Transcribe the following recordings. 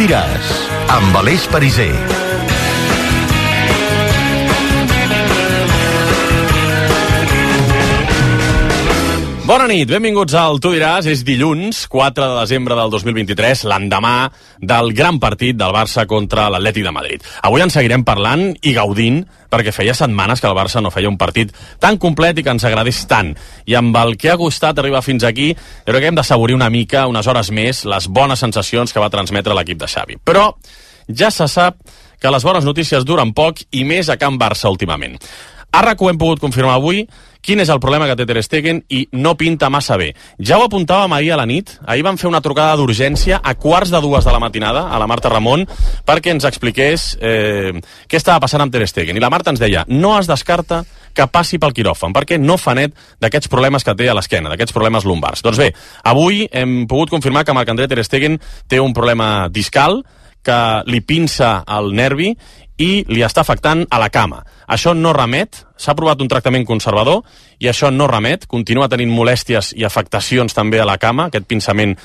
diràs, amb Aleix Pariser. Bona nit, benvinguts al Tu diràs. És dilluns, 4 de desembre del 2023, l'endemà del gran partit del Barça contra l'Atlètic de Madrid. Avui en seguirem parlant i gaudint, perquè feia setmanes que el Barça no feia un partit tan complet i que ens agradés tant. I amb el que ha costat arribar fins aquí, jo crec que hem d'assaborir una mica, unes hores més, les bones sensacions que va transmetre l'equip de Xavi. Però ja se sap que les bones notícies duren poc i més a Can Barça últimament. A RAC1 hem pogut confirmar avui quin és el problema que té Ter Stegen i no pinta massa bé. Ja ho apuntàvem ahir a la nit. Ahir vam fer una trucada d'urgència a 1:45 de la matinada a la Marta Ramon perquè ens expliqués què estava passant amb Ter Stegen. I la Marta ens deia, no es descarta que passi pel quiròfan, perquè no fa net d'aquests problemes que té a l'esquena, d'aquests problemes lumbars. Doncs bé, avui hem pogut confirmar que Marc-André Ter Stegen té un problema discal, que li pinça el nervi i li està afectant a la cama. Això no remet, s'ha provat un tractament conservador i això no remet, continua tenint molèsties i afectacions també a la cama, aquest pinçament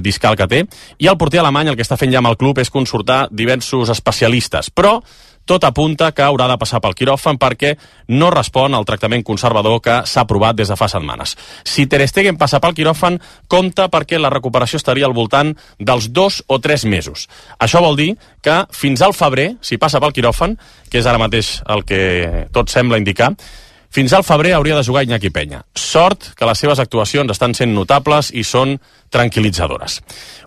discal que té, i el porter alemany el que està fent ja amb el club és consultar diversos especialistes, però tot apunta que haurà de passar pel quiròfan perquè no respon al tractament conservador que s'ha aprovat des de fa setmanes. Si Ter Stegen passa pel quiròfan, compta perquè la recuperació estaria al voltant dels 2 o 3 mesos. Això vol dir que fins al febrer, si passa pel quiròfan, que és ara mateix el que tot sembla indicar, fins al febrer hauria de jugar Iñaki Peña. Sort que les seves actuacions estan sent notables i són tranquil·litzadores.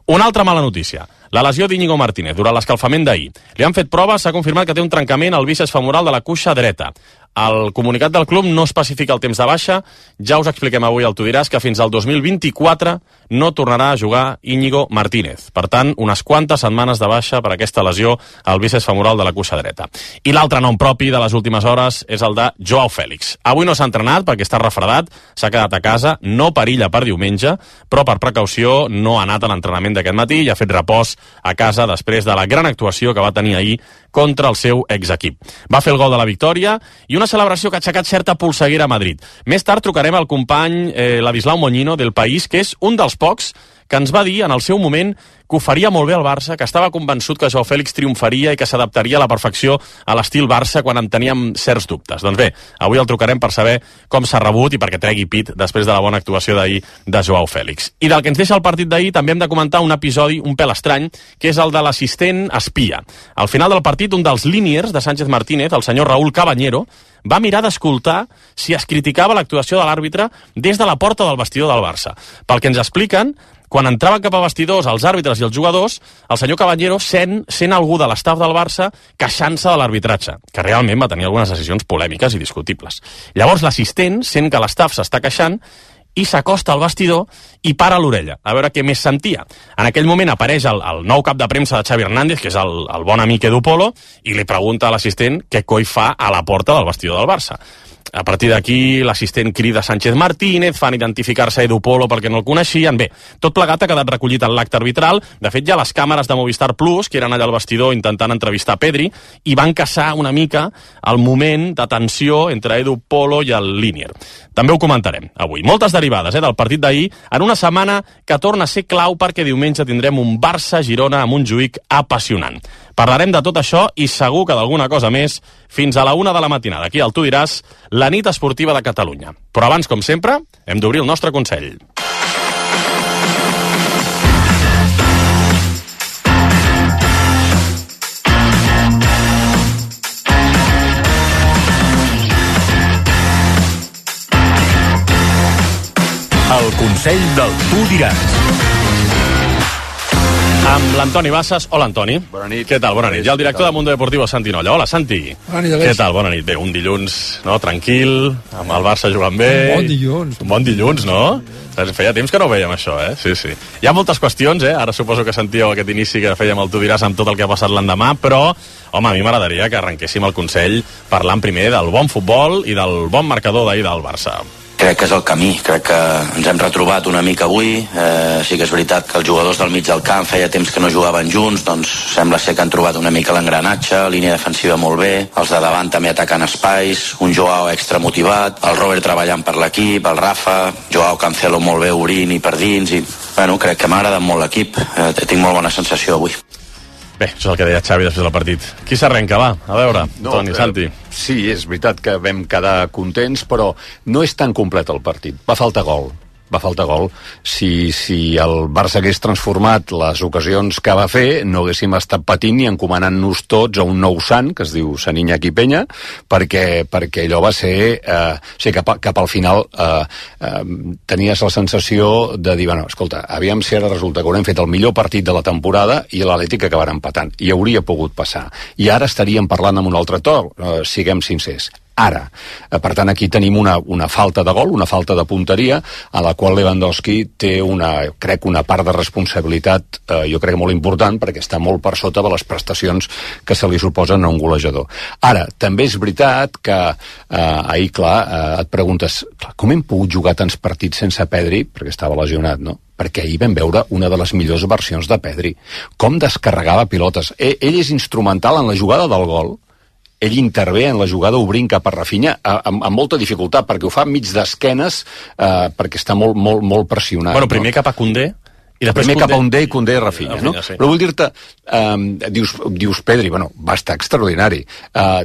Una altra mala notícia. La lesió d'Íñigo Martínez durant l'escalfament d'ahir. Li han fet proves, s'ha confirmat que té un trencament al bíceps femoral de la cuixa dreta. El comunicat del club no especifica el temps de baixa. Ja us expliquem avui al Tu diràs que fins al 2024 no tornarà a jugar Íñigo Martínez. Per tant, unes quantes setmanes de baixa per aquesta lesió al bíceps femoral de la cuixa dreta. I l'altre nom propi de les últimes hores és el de Joao Félix. Avui no s'ha entrenat perquè està refredat, s'ha quedat a casa, no perilla per diumenge, però per precaució no ha anat a l'entrenament d'aquest matí i ha fet repòs a casa després de la gran actuació que va tenir ahir contra el seu exequip. Va fer el gol de la victòria i una celebració que ha aixecat certa polseguera a Madrid. Més tard trucarem al company Ladislau Moñino del País, que és un dels pocs que ens va dir en el seu moment que ho faria molt bé al Barça, que estava convençut que Joao Félix triomfaria i que s'adaptaria a la perfecció a l'estil Barça quan en teníem certs dubtes. Doncs bé, avui el trucarem per saber com s'ha rebut i perquè tregui pit després de la bona actuació d'ahir de Joao Félix. I del que ens deixa el partit d'ahir també hem de comentar un episodi un pèl estrany, que és el de l'assistent espia. Al final del partit, un dels líniers de Sánchez Martínez, el senyor Raúl Cabanyero, va mirar d'escoltar si es criticava l'actuació de l'àrbitre des de la porta del vestidor del Barça. Pel que ens expliquen, quan entraven cap a vestidors els àrbitres i els jugadors, el senyor Caballero sent algú de l'estaf del Barça queixant-se de l'arbitratge, que realment va tenir algunes decisions polèmiques i discutibles. Llavors l'assistent sent que l'estaf s'està queixant i s'acosta al vestidor i para l'orella, a veure què més sentia. En aquell moment apareix el nou cap de premsa de Xavi Hernández, que és el bon amic Edu Polo, i li pregunta a l'assistent què coi fa a la porta del vestidor del Barça. A partir d'aquí, l'assistent crida Sánchez Martínez, fan identificar-se a Edu Polo perquè no el coneixien. Bé, tot plegat ha quedat recollit en l'acte arbitral. De fet, ja les càmeres de Movistar Plus, que eren allà al vestidor intentant entrevistar Pedri, i van caçar una mica el moment de tensió entre Edu Polo i el línier. També ho comentarem avui. Moltes derivades del partit d'ahir, en una setmana que torna a ser clau perquè diumenge tindrem un Barça-Girona a Montjuïc apassionant. Parlarem de tot això i segur que d'alguna cosa més fins a la 1 de la matinada. Aquí al Tu diràs, la nit esportiva de Catalunya. Però abans, com sempre, hem d'obrir el nostre consell. El consell del Tu diràs. Amb l'Antoni Bassas. Hola, Antoni. Bona nit. Què tal? Bona nit. I el director de Mundo Deportivo, Santi Nolla. Hola, Santi. Bona nit, Aleix. Què tal? Bona nit. Bé, un dilluns, no?, tranquil, amb el Barça jugant bé. Un bon dilluns. Un bon dilluns, no? Feia temps que no ho veiem, això, Sí, sí. Hi ha moltes qüestions, Ara suposo que sentíeu aquest inici que fèiem el Tu diràs amb tot el que ha passat l'endemà, però, home, a mi m'agradaria que arrenquéssim el consell parlant primer del bon futbol i del bon marcador d'ahir del Barça. Crec que és el camí, crec que ens hem retrobat una mica avui, sí que és veritat que els jugadors del mig del camp feia temps que no jugaven junts, doncs sembla ser que han trobat una mica l'engranatge, línia defensiva molt bé, els de davant també atacant espais, un Joao extra motivat, el Robert treballant per l'equip, el Rafa, Joao Cancelo molt bé obrint i per dins, i bueno, crec que m'ha agradat molt l'equip, tinc molt bona sensació avui. Bé, això és el que deia Xavi després del partit. Qui s'arrenca, va? A veure, Toni, Santi. Sí, és veritat que vam quedar contents, però no és tan complet el partit. Va faltar gol. Si el Barça hagués transformat les ocasions que va fer, no haguéssim estat patint i encomanant-nos tots a un nou sant, que es diu Sant Iñaki Peña, perquè allò va ser... cap al final tenies la sensació de dir, bueno, escolta, aviam si ara resulta que haurem fet el millor partit de la temporada i l'Atlètic acabarà empatant. I hauria pogut passar. I ara estaríem parlant amb un altre to, siguem sincers. Ara. Per tant, aquí tenim una falta de gol, una falta de punteria, a la qual Lewandowski té crec una part de responsabilitat, jo crec molt important, perquè està molt per sota de les prestacions que se li suposen a un golejador. Ara, també és veritat que ahir, et preguntes, com hem pogut jugar tants partits sense Pedri? Perquè estava lesionat, no? Perquè ahir vam veure una de les millors versions de Pedri. Com descarregava pilotes. Ell és instrumental en la jugada del gol. Ell intervé en la jugada obrint cap a Rafinha amb molta dificultat, perquè ho fa mig d'esquenes, perquè està molt pressionat. Bueno, primer cap a Koundé, i després primer cap a Koundé i Koundé i Rafinha, no? Sí. Però vull dir-te, dius Pedri, bueno, va estar extraordinari.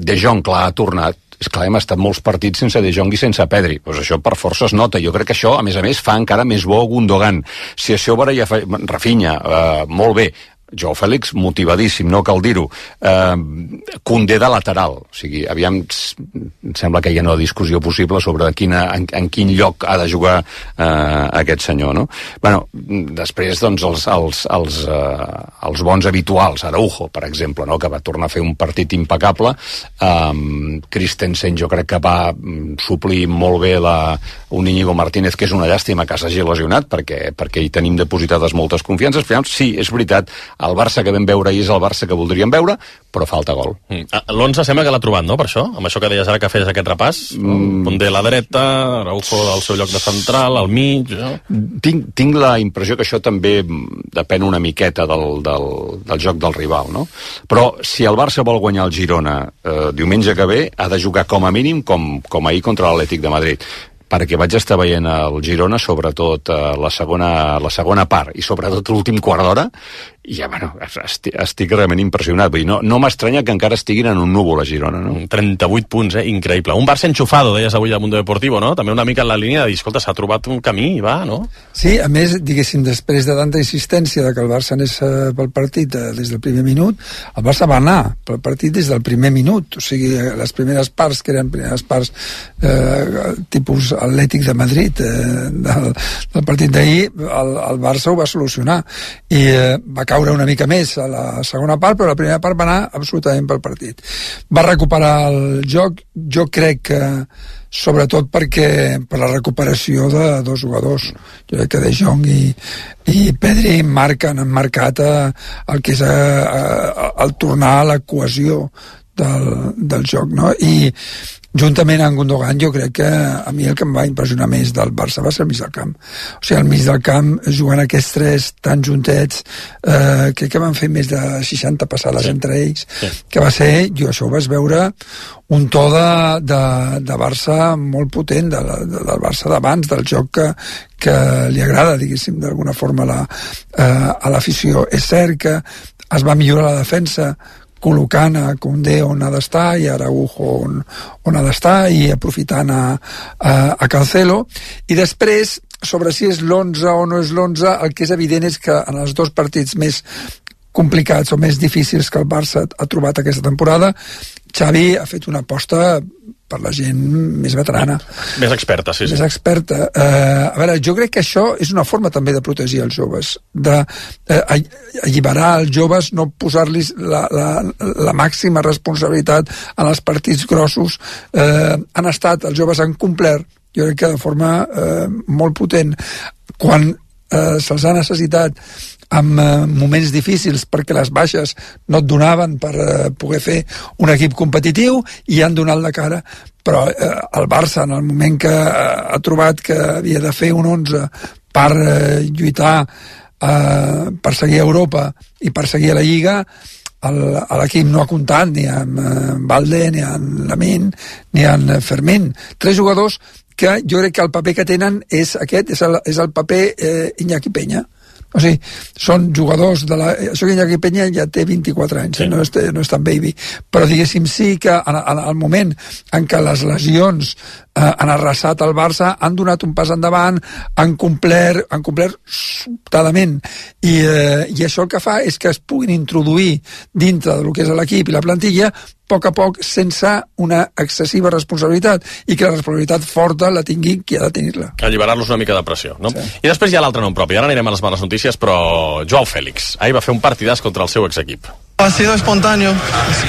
De Jong, clar, ha tornat. És clar, hem estat molts partits sense De Jong i sense Pedri. Pues això per força es nota. Jo crec que això, a més, fa encara més bo Gundogan. Si això ja fa... Rafinha, molt bé. Joao Fèlix, motivadíssim, no cal dir-ho. Koundé de lateral. O sigui, aviam, em sembla que hi ha una discussió possible sobre en quin lloc ha de jugar aquest senyor, no? Bueno, després, doncs, els bons habituals, Araujo, per exemple, no?, que va tornar a fer un partit impecable. Christensen, jo crec que va suplir molt bé un Íñigo Martínez, que és una llàstima que s'hagi lesionat, perquè hi tenim depositades moltes confiances. Sí, és veritat, el Barça que vam veure ahir és el Barça que voldríem veure, però falta gol. L'11 sembla que l'ha trobat, no, per això? Amb això que deies ara que fes aquest repàs? Koundé a la dreta, Araujo al seu lloc de central, al mig... Tinc la impressió que això també depèn una miqueta del joc del rival, no? Però si el Barça vol guanyar el Girona diumenge que ve, ha de jugar com a mínim com ahir contra l'Atlètic de Madrid, perquè vaig estar veient el Girona, sobretot la segona part, i sobretot l'últim quart d'hora, i ja, bueno, estic realment impressionat. Vull dir, no m'estranya que encara estiguin en un núvol a Girona, no? 38 punts, increïble. Un Barça enxufado, deies avui al Mundo Deportivo, no? També una mica en la línia de dir, escolta, s'ha trobat un camí i va, no? Sí, a més, diguéssim, després de tanta insistència de que el Barça anés pel partit des del primer minut, el Barça va anar pel partit des del primer minut. O sigui, les primeres parts, que eren primeres parts tipus Atlètic de Madrid, del partit d'ahir, el Barça ho va solucionar. I va caure una mica més a la segona part, però la primera part va anar absolutament pel partit. Va recuperar el joc, jo crec que sobretot per la recuperació de dos jugadors. Jo crec que De Jong i Pedri han marcat el que és el tornar a la cohesió del joc, no? I juntament amb Gundogan, jo crec que a mi el que em va impressionar més del Barça va ser el mig del camp. O sigui, al mig del camp, jugant aquests tres tan juntets, crec que van fer més de 60 passades entre ells, que va ser, jo això ho vaig veure, un to de Barça molt potent, del Barça d'abans, del joc que li agrada, diguéssim, d'alguna forma a l'afició. És cert que es va millorar la defensa col·locant a Koundé on ha d'estar i a Araujo on ha d'estar i aprofitant a Cancelo, i després sobre si és l'11 o no és l'11, el que és evident és que en els dos partits més complicats o més difícils que el Barça ha trobat aquesta temporada, Xavi ha fet una aposta per la gent més veterana. Més experta, sí. Més experta. A veure, jo crec que això és una forma també de protegir els joves, d'alliberar els joves, no posar-los la màxima responsabilitat en els partits grossos. Els joves han complert, jo crec que de forma molt potent. Quan se'ls ha necessitat en moments difícils perquè les baixes no et donaven per poder fer un equip competitiu i han donat la cara, però el Barça en el moment que ha trobat que havia de fer un 11 per lluitar per seguir a Europa i per seguir a la Lliga, l'equip no ha comptat ni amb Valde, ni amb Lamine, ni amb Fermín. 3 jugadors que jo crec que el paper que tenen és aquest, és el paper Iñaki Peña. O sigui, són jugadors de la... Això que Iñaki Peña ja té 24 anys, no és tan baby, però diguéssim sí que en el moment en què les lesions han arrasat el Barça, han donat un pas endavant, han complert sobtadament, i això el que fa és que es puguin introduir dintre del que és l'equip i la plantilla a poc sense una excessiva responsabilitat, i que la responsabilitat forta la tingui qui ha de tenir-la. Alliberar-los una mica de pressió, no? Sí. I després hi ha l'altre nom propi. Ara anirem a les males notícies, però Joao Félix ahir va fer un partidàs contra el seu exequip. Ha sido espontáneo,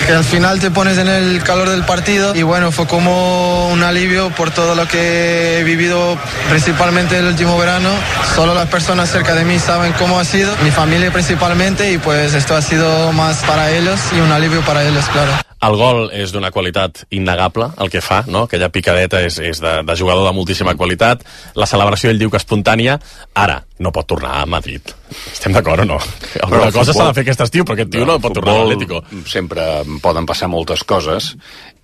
que al final te pones en el calor del partido y bueno, fue como un alivio por todo lo que he vivido principalmente el último verano. Solo las personas cerca de mí saben cómo ha sido, mi familia principalmente, y pues esto ha sido más para ellos y un alivio para ellos, claro. El gol és d'una qualitat innegable, el que fa, no? Aquella picadeta és de jugador de moltíssima qualitat. La celebració, ell diu que espontània. Ara, no pot tornar a Madrid. Estem d'acord o no? Alguna cosa s'ha de fer aquest estiu, perquè aquest tio no pot tornar a l'Atlético. Sempre poden passar moltes coses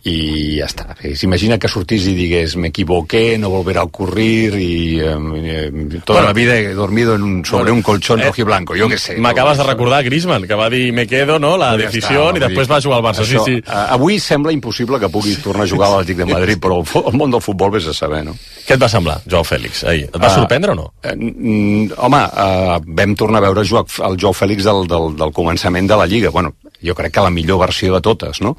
i ja està. S'imagina que sortís i digués me equivoqué, no volverá a ocurrir y toda la vida he dormido sobre un colchón rojiblanco, jo què sé. M'acabes de recordar Griezmann, que va dir me quedo, no?, la decisió, i després va jugar al Barça. Això, sí. Avui sembla impossible que pugui tornar a jugar a l'Atlètic de Madrid, però el món del futbol vés a saber, no? Què et va semblar, Joao Félix, ahir? Et va sorprendre o no? Home, vam tornar a veure el Joao Félix del començament de la Lliga. Bueno, jo crec que la millor versió de totes, no?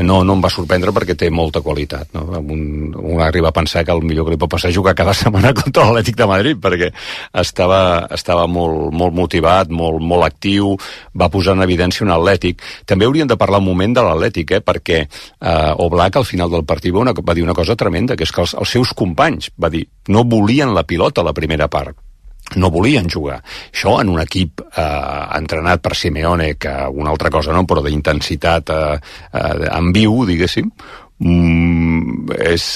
No em va sorprendre perquè té molta qualitat, no? Un arriba a pensar que el millor que li pot passar és jugar cada setmana contra l'Atlètic de Madrid, perquè estava molt motivat, molt actiu, va posar en evidència un Atlètic. També hauríem de parlar un moment de l'Atlètic, perquè Oblak al final del partit va dir una cosa tremenda, que és que els seus companys, va dir, no volien la pilota a la primera part, no volien jugar. Això en un equip entrenat per Simeone, que una altra cosa no, però d'intensitat en viu, diguéssim, és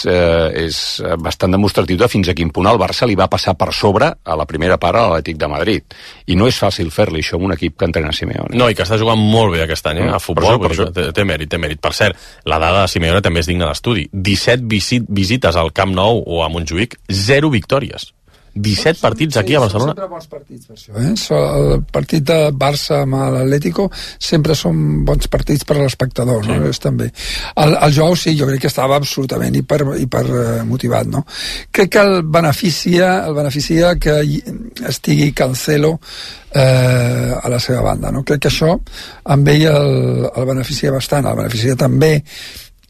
bastant demostratiu de fins a quin punt el Barça li va passar per sobre a la primera part a l'Atlètic de Madrid, i no és fàcil fer-li això amb un equip que entrena Simeone. No, i que està jugant molt bé aquest any, a futbol, per això. Té mèrit. Per cert, la dada de Simeone també és digna d'estudi. 17 visites al Camp Nou o a Montjuïc, 0 victòries. 17 partits aquí a Barcelona. Sempre bons partits per això, el partit de Barça amb l'Atlético sempre són bons partits per a l'espectador, no? També. El Joao sí, jo crec que estava absolutament hiper motivat, no? Crec que el beneficia que estigui Cancelo a la seva banda, no? Crec que això amb ell el beneficia bastant. El beneficia també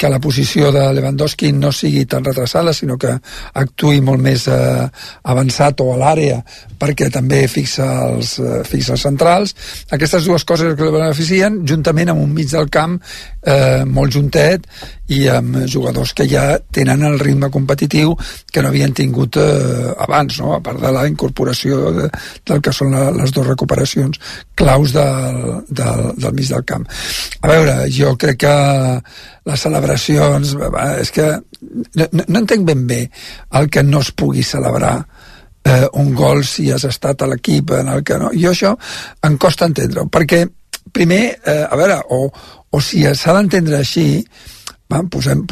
que la posició de Lewandowski no sigui tan retrasada, sinó que actuï molt més avançat o a l'àrea, perquè també fixa els centrals. Aquestes dues coses que el beneficien, juntament amb un mig del camp molt juntet i amb jugadors que ja tenen el ritme competitiu que no havien tingut abans, no? A part de la incorporació del que són les dues recuperacions claus del mig del camp. A veure, jo crec que les celebracions, és que no entenc ben bé el que no es pugui celebrar un gol si has estat a l'equip en el que no. Jo això em costa entendre-ho, perquè primer, a veure, o si s'ha d'entendre així, posem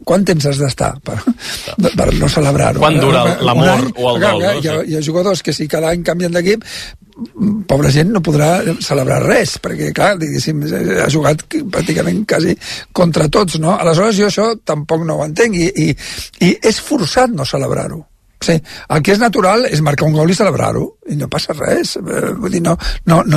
quant temps has d'estar per no celebrar-ho. Quan dura l'amor o el dol? Hi ha jugadors que si cada any canvien d'equip, pobra gent no podrà celebrar res, perquè clar, diguéssim, ha jugat pràcticament quasi contra tots, no? Aleshores jo això tampoc no ho entenc, i és forçat no celebrar-ho. Sí, el que és natural és marcar un gol i celebrar-ho, i no passa res. Vull dir, no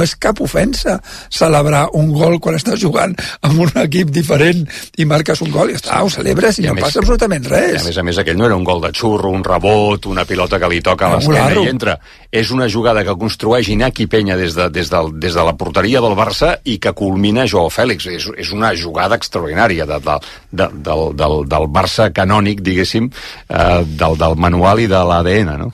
és cap ofensa celebrar un gol quan estàs jugant amb un equip diferent i marques un gol i ho celebres i no passa absolutament res. A més, aquell no era un gol de xurro, un rebot, una pilota que li toca a l'esquena i entra. És una jugada que construeix Iñaki Peña des de la porteria del Barça i que culmina Joao Félix. És una jugada extraordinària del Barça canònic, diguéssim, del manual i de l'ADN, no?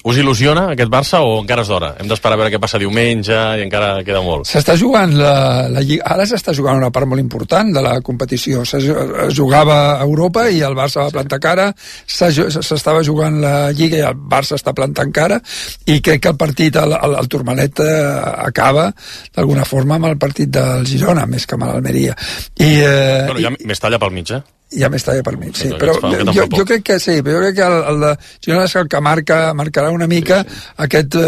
Us il·lusiona aquest Barça o encara és d'hora? Hem d'esperar a veure què passa diumenge i encara queda molt. S'està jugant la Lliga, ara s'està jugant una part molt important de la competició. Es jugava a Europa i el Barça va plantar cara, s'estava jugant la Lliga i el Barça està plantant cara, i crec que el partit, el Turmalet acaba d'alguna forma amb el partit del Girona, més que amb l'Almeria. Bueno, hi ha més talla pel mig, ja m'estava per mi, sí, però jo crec que sí, però jo crec que el de Girona és el que marcarà una mica aquesta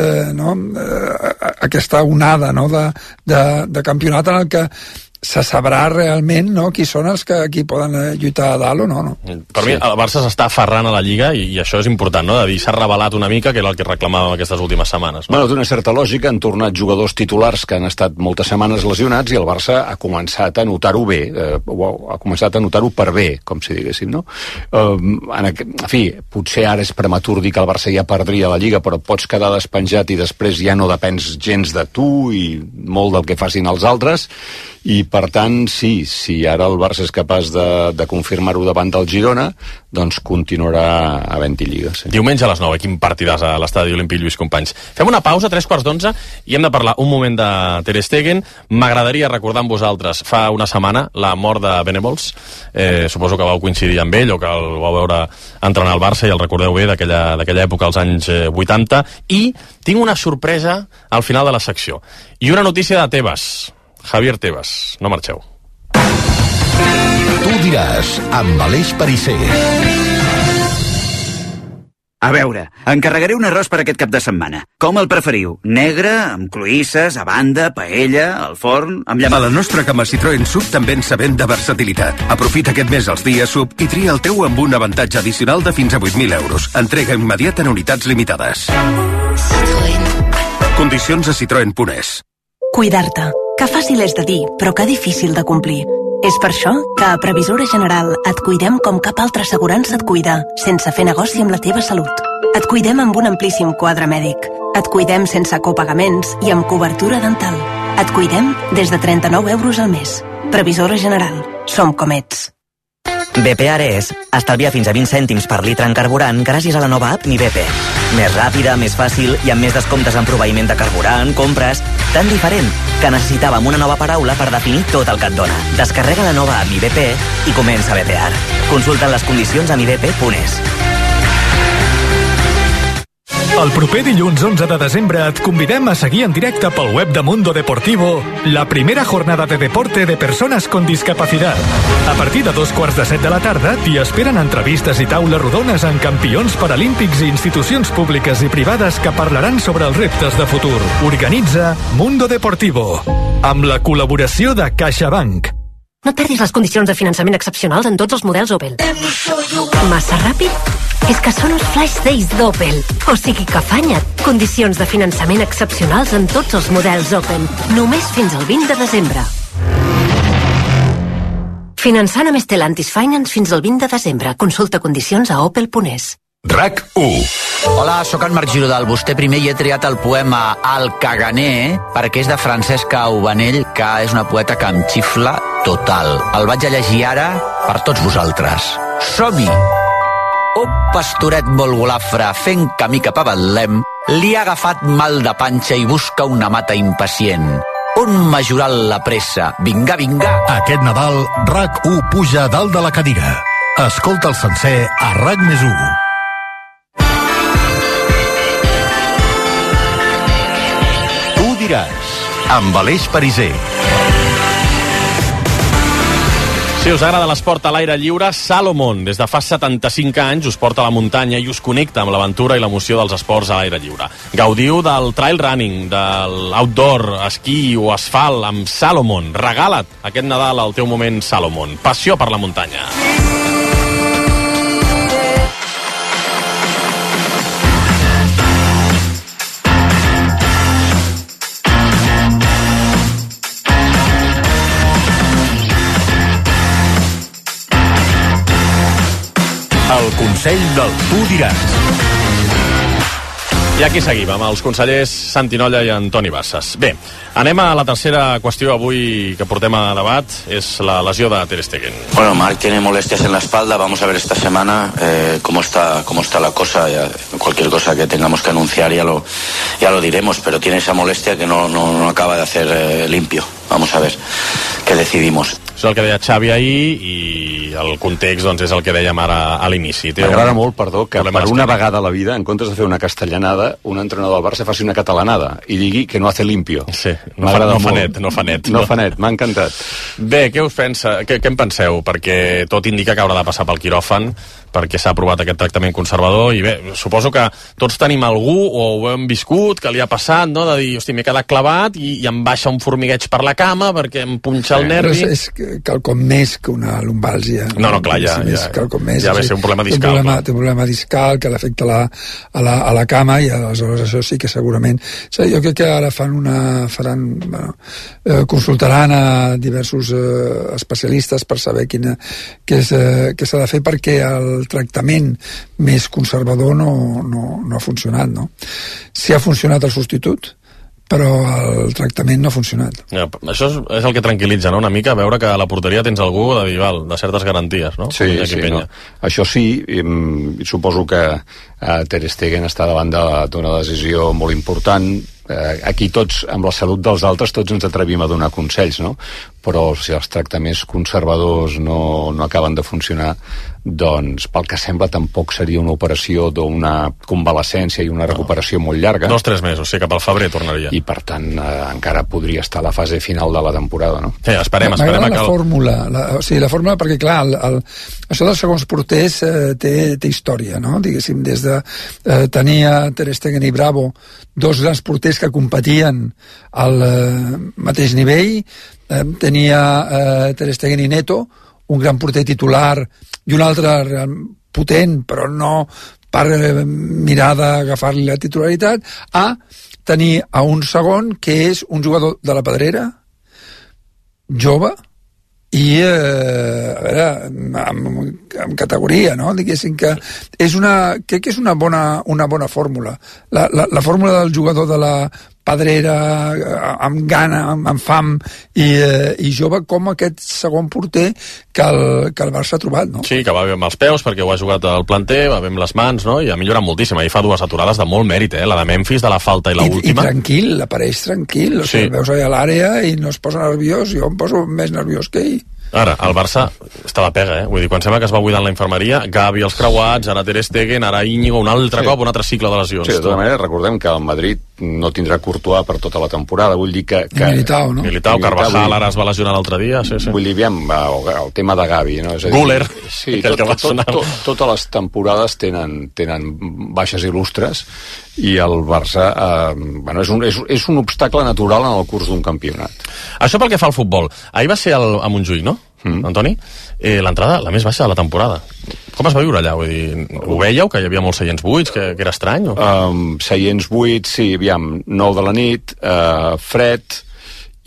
onada de campionat en el que se sabrà realment qui són els que aquí poden lluitar a dalt o no. Per mi el Barça s'està aferrant a la Lliga i això és important, no? De dir, s'ha revelat una mica, que era el que reclamàvem aquestes últimes setmanes. Bueno, d'una certa lògica han tornat jugadors titulars que han estat moltes setmanes lesionats i el Barça ha començat a notar-ho bé, ha començat a notar-ho per bé, com si diguéssim, no? En fi, potser ara és prematur dir que el Barça ja perdria la Lliga, però pots quedar despenjat i després ja no depens gens de tu i molt del que facin els altres, i per tant, si ara el Barça és capaç de confirmar-ho davant del Girona, doncs continuarà havent-hi Lliga. Sí. Diumenge a les 9, quin partidàs a l'estadi Olímpic Lluís Companys. Fem una pausa, 3:45, i hem de parlar un moment de Ter Stegen. M'agradaria recordar amb vosaltres, fa una setmana, la mort de Venables. Suposo que vau coincidir amb ell o que el vau veure entrenar al Barça i el recordeu bé d'aquella època, als anys 80. I tinc una sorpresa al final de la secció. I una notícia de Tebas. Javier Tebas, no marxeu. Tu diràs, amb Aleix Pariser. A veure, encarregaré un arròs per aquest cap de setmana. Com el preferiu? Negre, amb cloïsses, a banda, paella, al forn, amb A la nostra gamma Citroën Sub també ens sabem de versatilitat. Aprofita aquest mes els dies Sub i tria el teu amb un avantatge addicional de fins a 8.000 euros. Entrega immediata en unitats limitades. Condicions a citroen.es. Cuidar-te. Que fàcil és de dir, però que difícil de complir. És per això que a Previsora General et cuidem com cap altra assegurança et cuida, sense fer negoci amb la teva salut. Et cuidem amb un amplíssim quadre mèdic. Et cuidem sense copagaments i amb cobertura dental. Et cuidem des de 39 euros al mes. Previsora General. Som com ets. BP Ares estalvia fins a 20 cèntims per litre en carburant gràcies a la nova app Mi BP. Més ràpida, més fàcil i amb més descomptes en proveïment de carburant, compres... Tan diferent que necessitàvem una nova paraula per definir tot el que et dona. Descarrega la nova app Mi BP i comença a BPR. Consulta les condicions a mibp.es. El proper dilluns 11 de desembre et convidem a seguir en directe pel web de Mundo Deportivo la primera jornada de deporte de persones con discapacidad. A partir de 6:45 de la tarda t'hi esperen entrevistes i taules rodones amb campions paralímpics i institucions públiques i privades que parlaran sobre els reptes de futur. Organitza Mundo Deportivo, amb la col·laboració de CaixaBank. No et perdis les condicions de finançament excepcionals en tots els models Opel. Massa ràpid? És que són els Flash Days d'Opel. O sigui que afanya't. Condicions de finançament excepcionals en tots els models Opel. Només fins al 20 de desembre. Finançant amb Stellantis Finance fins al 20 de desembre. Consulta condicions a opel.es. RAC1. Hola, sóc en Marc Girodal. Vostè primer hi he triat el poema El Caganer perquè és de Francesca Ubanell, que és una poeta que em xifla total. El vaig a llegir ara per tots vosaltres. Som-hi! Un pastoret molt golafre fent camí cap a Betlem li ha agafat mal de panxa i busca una mata impacient. Un majoral la pressa. Vinga, vinga! Aquest Nadal, RAC1 puja a dalt de la cadira. Escolta el sencer a RAC+1. Tu diràs, amb Aleix Pariser. Si us agrada l'esport a l'aire lliure, Salomon, des de fa 75 anys, us porta a la muntanya i us connecta amb l'aventura i l'emoció dels esports a l'aire lliure. Gaudiu del trail running, de l'outdoor, esquí o asfalt amb Salomon. Regala't aquest Nadal al teu moment Salomon. Passió per la muntanya. El Consell del Tu diràs. I aquí seguim, amb els consellers Santi Nolla i Antoni Bassas. Bé, anem a la tercera qüestió avui que portem a debat, és la lesió de Ter Stegen. Bueno, Marc tiene molestias en la espalda, vamos a ver esta semana cómo está la cosa. Ya, cualquier cosa que tengamos que anunciar ya lo diremos, pero tiene esa molestia que no acaba de hacer limpio. Vamos a ver qué decidimos. Això és el que deia Xavi ahir i el context doncs, és el que dèiem ara a l'inici. M'agrada molt, perdó, que per una vegada a la vida, en comptes de fer una castellanada, un entrenador del Barça faci una catalanada i digui que no hace limpio. Sí, no fa net. M'ha encantat. Bé, què en penseu? Perquè tot indica que haurà de passar pel quiròfan, perquè s'ha aprovat aquest tractament conservador, i bé, suposo que tots tenim algú, o ho hem viscut, que li ha passat, no?, de dir, hosti, m'he quedat clavat i em baixa un formigueig per la cama perquè em punxa el nervi. Però és quelcom més que una lumbàlgia. No, clar, ja ve ser un problema discal. Té un problema discal que l'afecta a la cama, i aleshores això sí que segurament... Jo crec que ara consultaran a diversos especialistes per saber què s'ha de fer, perquè el tractament més conservador no ha funcionat, no? Sí ha funcionat el substitut, però el tractament no ha funcionat. Ja, això és el que tranquil·litza, no?, una mica, veure que a la porteria tens algú de certes garanties, no? Sí, no. Això sí, suposo que Ter Stegen està davant d'una decisió molt important. Aquí tots, amb la salut dels altres, tots ens atrevim a donar consells, no? Però si els tractaments conservadors no acaben de funcionar, doncs pel que sembla tampoc seria una operació d'una convalescència i una recuperació molt llarga. 2-3 mesos, sí, cap al febrer tornaria. I per tant encara podria estar a la fase final de la temporada, no? Sí, esperem M'agrada la fórmula, la fórmula, perquè clar, això dels segons porters té història, no? Diguéssim, des de tenir Ter Stegen i Bravo, dos grans porters que competien al mateix nivell, tenia Ter Stegen i Neto, un gran porter titular i un altre potent, però no per mirar d'agafar-li la titularitat, a tenir a un segon que és un jugador de la Pedrera, jove, i a veure, amb categoria, no? Diguéssim que crec que és una bona fórmula. La fórmula del jugador de la Pedrera, amb gana, amb fam i jove, com aquest segon porter que el Barça ha trobat, no? Sí, que va bé amb els peus perquè ho ha jugat al planter, va bé amb les mans, no? I ha millorat moltíssim. Ahir fa dues aturades de molt mèrit, la de Memphis, de la falta i l'última. I tranquil, apareix tranquil, sí. El veus allà a l'àrea i no es posa nerviós. Jo em poso més nerviós que ell. Ara, el Barça està de pega, Vull dir, quan sembla que es va buidar en la infermeria, Gavi els creuats, ara Ter Stegen, ara Íñigo, un altre cop, un altre cicle de lesions. Sí, de tota manera, recordem que el Madrid no tindrà Courtois per tota la temporada, vull dir que Militao, no? Militao, Carvajal, ara es va lesionar l'altre dia, sí. Vull dir, aviam, el tema de Gavi, no? Guller, sí, totes les temporades tenen baixes il·lustres, i el Barça és un obstacle natural en el curs d'un campionat. Això pel que fa al futbol. Ahir va ser a Montjuïc, no? Antoni? L'entrada la més baixa de la temporada. Com es va viure allà? Vull dir, ho veieu, que hi havia molts seients buits, que era estrany? Seients buits, sí, aviam, 9 de la nit, fred,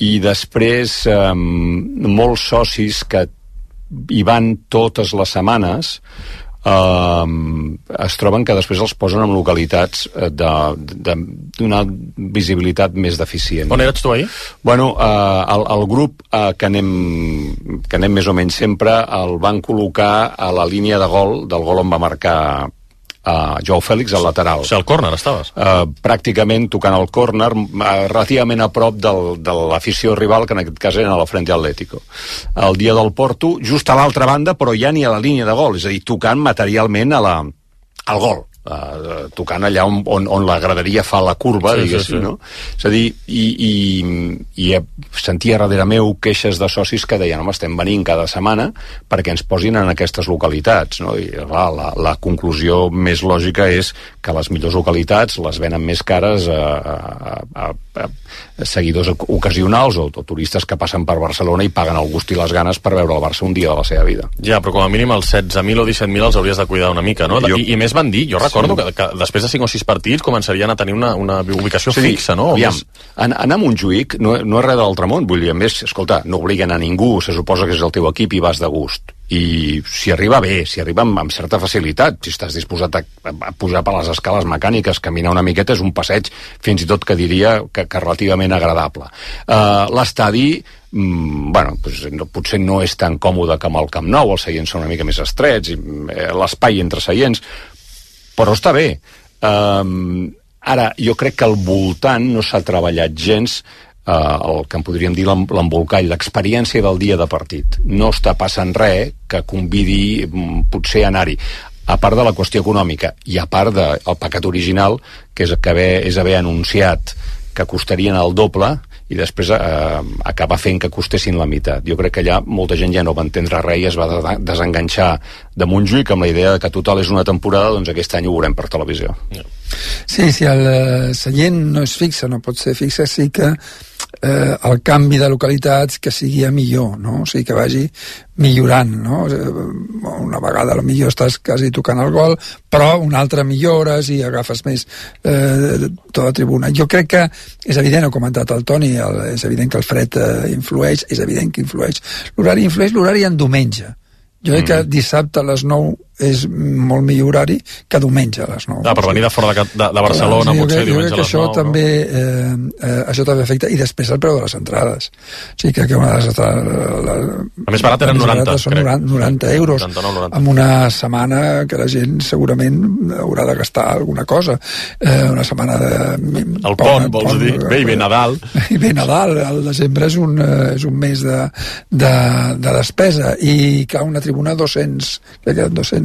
i després molts socis que hi van totes les setmanes es troben que després els posen en localitats d'una visibilitat més deficient. On eres tu ahir? Bueno, el grup que anem més o menys sempre el van col·locar a la línia de gol, del gol on va marcar Joao Fèlix, al lateral. O sigui, al córner estaves? Pràcticament tocant el córner, relativament a prop de l'afició rival, que en aquest cas era a la Frente Atlético. El dia del Porto, just a l'altra banda, però ja ni a la línia de gol, és a dir, tocant materialment al gol. Tocant allà on la graderia fa la curva, diguéssim, no? És a dir, i sentia darrere meu queixes de socis que deien, home, estem venint cada setmana perquè ens posin en aquestes localitats, no? I la conclusió més lògica és que les millors localitats les venen més cares a seguidors ocasionals o turistes que passen per Barcelona i paguen el gust i les ganes per veure el Barça un dia de la seva vida. Ja, però com a mínim els 16.000 o 17.000 els hauries de cuidar una mica, no? I més van dir, jo recordo que després de 5 o 6 partits començarien a tenir una ubicació fixa, no? Aviam, anar a Montjuïc no és res de l'altre món, vull dir, a més, escolta, no obliguen a ningú, se suposa que és el teu equip i vas de gust. I si arriba bé, si arriba amb certa facilitat, si estàs disposat a pujar per les escales mecàniques, caminar una miqueta, és un passeig, fins i tot que diria que relativament agradable. L'estadi, potser no és tan còmode com el Camp Nou, els seients són una mica més estrets, l'espai entre seients, però està bé. Ara, jo crec que al voltant no s'ha treballat gens el que en podríem dir l'embolcall, l'experiència del dia de partit. No està passant res que convidi potser a anar-hi, a part de la qüestió econòmica i a part del pecat original, que és haver anunciat que costarien el doble i després acabar fent que costessin la meitat. Jo crec que allà molta gent ja no va entendre res i es va desenganxar de Montjuïc amb la idea que total és una temporada, doncs aquest any ho veurem per televisió. Sí, si el seient no és fixe, no pot ser fixe, sí que el canvi de localitats que sigui a millor, no? O sigui, que vagi millorant, no? Una vegada potser estàs quasi tocant el gol, però una altra millores i agafes més tota la tribuna. Jo crec que és evident, ho ha comentat el Toni, és evident que el fred influeix, és evident que influeix l'horari en diumenge. Jo crec que dissabte a les 9 és molt millor horari que diumenge a les 9. Per venir de fora de Barcelona, potser diumenge a les 9. Jo crec que això també afecta. I després el preu de les entrades. O sigui, que una de les entrades... A més barat eren 90, són 90 euros. 90. En una setmana que la gent segurament haurà de gastar alguna cosa. Una setmana de... El pont, vols dir? Bé, i bé Nadal. I bé Nadal. El desembre és un mes de despesa. I que una tribuna 200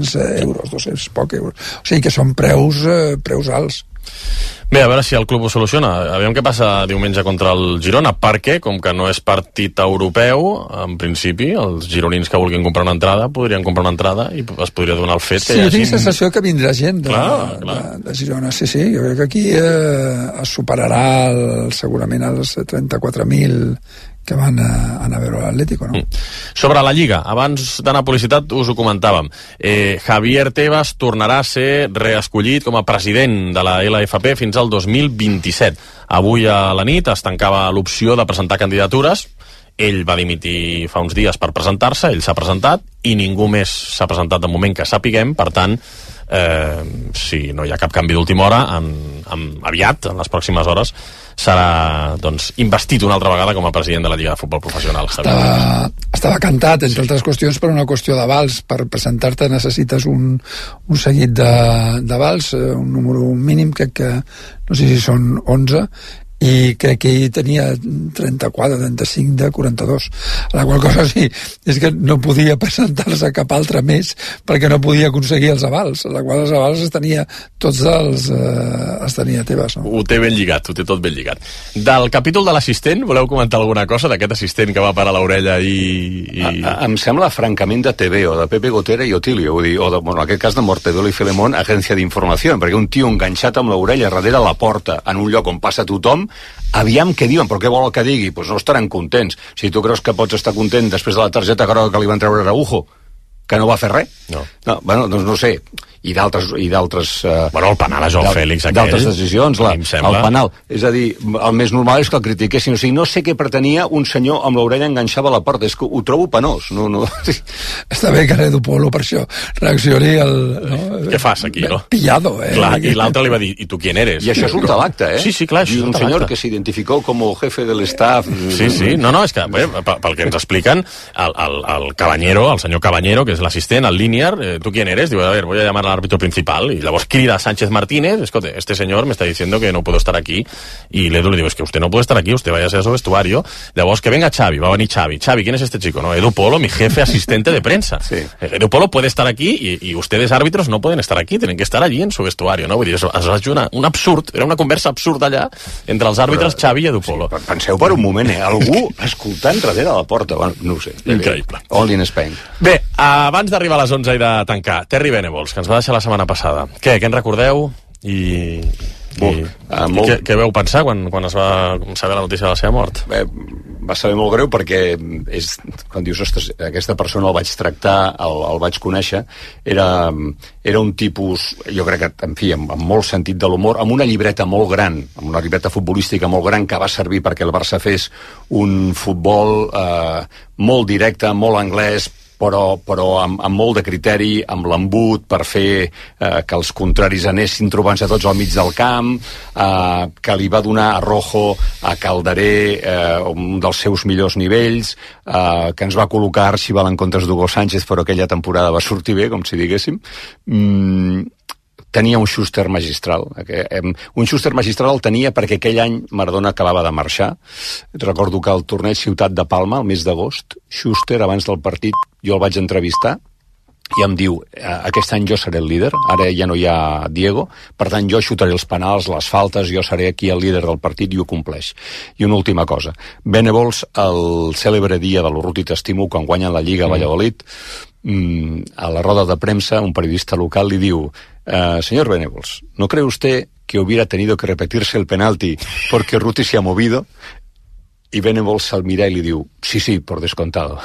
euros, 200 poc euros. O sigui que són preus alts. Bé, a veure si el club ho soluciona. Aviam què passa diumenge contra el Girona, perquè, com que no és partit europeu, en principi, els gironins que vulguin comprar una entrada podrien comprar una entrada i es podria donar el fet que hi hagi... Sí, tinc sensació que vindrà gent de Girona. Sí, jo crec que aquí es superarà segurament els 34.000 que van anar a veure l'Atlético, no? Sobre la Lliga, abans d'anar a publicitat us ho comentàvem. Javier Tebas tornarà a ser reescollit com a president de la LFP fins al 2027. Avui a la nit es tancava l'opció de presentar candidatures. Ell va dimitir fa uns dies per presentar-se, ell s'ha presentat i ningú més s'ha presentat de moment que sapiguem, per tant, si no hi ha cap canvi d'última hora, aviat, en les pròximes hores, serà investit una altra vegada com a president de la Lliga de Futbol Professional. Estava cantat, entre altres qüestions, per una qüestió d'avals. Per presentar-te necessites un seguit d'avals, un número mínim, crec que no sé si són 11, i crec que ell tenia 34, 35 de 42, la qual cosa sí, és que no podia presentar-se cap altre més perquè no podia aconseguir els avals, la qual els avals els tenia Tebas, no? Ho té ben lligat, ho té tot ben lligat. Del capítol de l'assistent, voleu comentar alguna cosa d'aquest assistent que va parar l'orella Em sembla francament de TV, o de Pepe Gotera i Otilio, en aquest cas de Mortadelo i Filemón, agència d'informació, perquè un tio enganxat amb l'orella darrere la porta, en un lloc on passa tothom, aviam què diuen, però què vol que digui? Doncs no estaran contents. Si tu creus que pots estar content després de la targeta groga que li van treure a Araujo, que no va fer res? No. Bueno, doncs no sé. I d'altres bueno, el penal a Joao Félix aquell, d'altres decisions, el penal, és a dir, el més normal és que el critiquessin, o sigui, no sé què pretenia un senyor amb l'orella enganxava a la porta, és que ho trobo penós, no. Està bé que Edu Polo per això reaccioni què fas aquí, no? Pillado, Clar, i l'altre li va dir, ¿y tu quién eres? I això surt a l'acte, Sí, clar, això un senyor que s'identificó com jefe del staff. Sí, no, és que pel que ens expliquen el Cabanyero, el senyor Cabanyero, que és l'assistent, el Linear, ¿tú quién eres? Digo, a ver, voy a llamar al árbitro principal, y llavors crida a Sánchez Martínez, escote, este señor me está diciendo que no puedo estar aquí, y l'Edu le digo, es que usted no puede estar aquí, usted vaya a ser su vestuario. Llavors que venga Xavi, va a venir Xavi, ¿quién es este chico? No, Edu Polo, mi jefe asistente de prensa. Sí. Edu Polo puede estar aquí y ustedes árbitros no pueden estar aquí, tienen que estar allí en su vestuario, no? Vull dir, es va jugar un absurd, era una conversa absurda allà entre els àrbitres Xavi i Edu Polo. Sí, penseu per un moment, algú escoltant darrere la porta, bueno, no ho sé. Increïble. All in Spain. Bé, abans d'arribar a les 11 i de tancar, Terry Venables, que ens va deixar la setmana passada. Què en recordeu? Què veu pensar quan es va saber la notícia de la seva mort? Va saber molt greu perquè quan dius, ostres, aquesta persona el vaig tractar, el vaig conèixer, era un tipus, jo crec que, en fi, amb molt sentit de l'humor, amb una llibreta molt gran, amb una llibreta futbolística molt gran que va servir perquè el Barça fes un futbol molt directe, molt anglès, però amb molt de criteri, amb l'embut per fer que els contraris anessin trobant-se tots al mig del camp, que li va donar a Rojo, a Calderé, un dels seus millors nivells, que ens va col·locar Archibald en comptes d'Hugo Sánchez, però aquella temporada va sortir bé, com si diguéssim. tenia un Schuster magistral. Un Schuster magistral el tenia perquè aquell any Maradona acabava de marxar. Recordo que al torneig Ciutat de Palma, el mes d'agost, Schuster, abans del partit, jo el vaig entrevistar i em diu, aquest any jo seré el líder, ara ja no hi ha Diego, per tant jo xutaré els penals, les faltes, jo seré aquí el líder del partit i ho compleix. I una última cosa, Venables, el cèlebre dia de l'Urruti T'estimo, quan guanyen la Lliga a Valladolid, a la roda de premsa un periodista local li diu, señor Venables, ¿no cree usted que hubiera tenido que repetirse el penalti porque Urruti se ha movido? Y Venables al mira y le diu, sí, por descontado.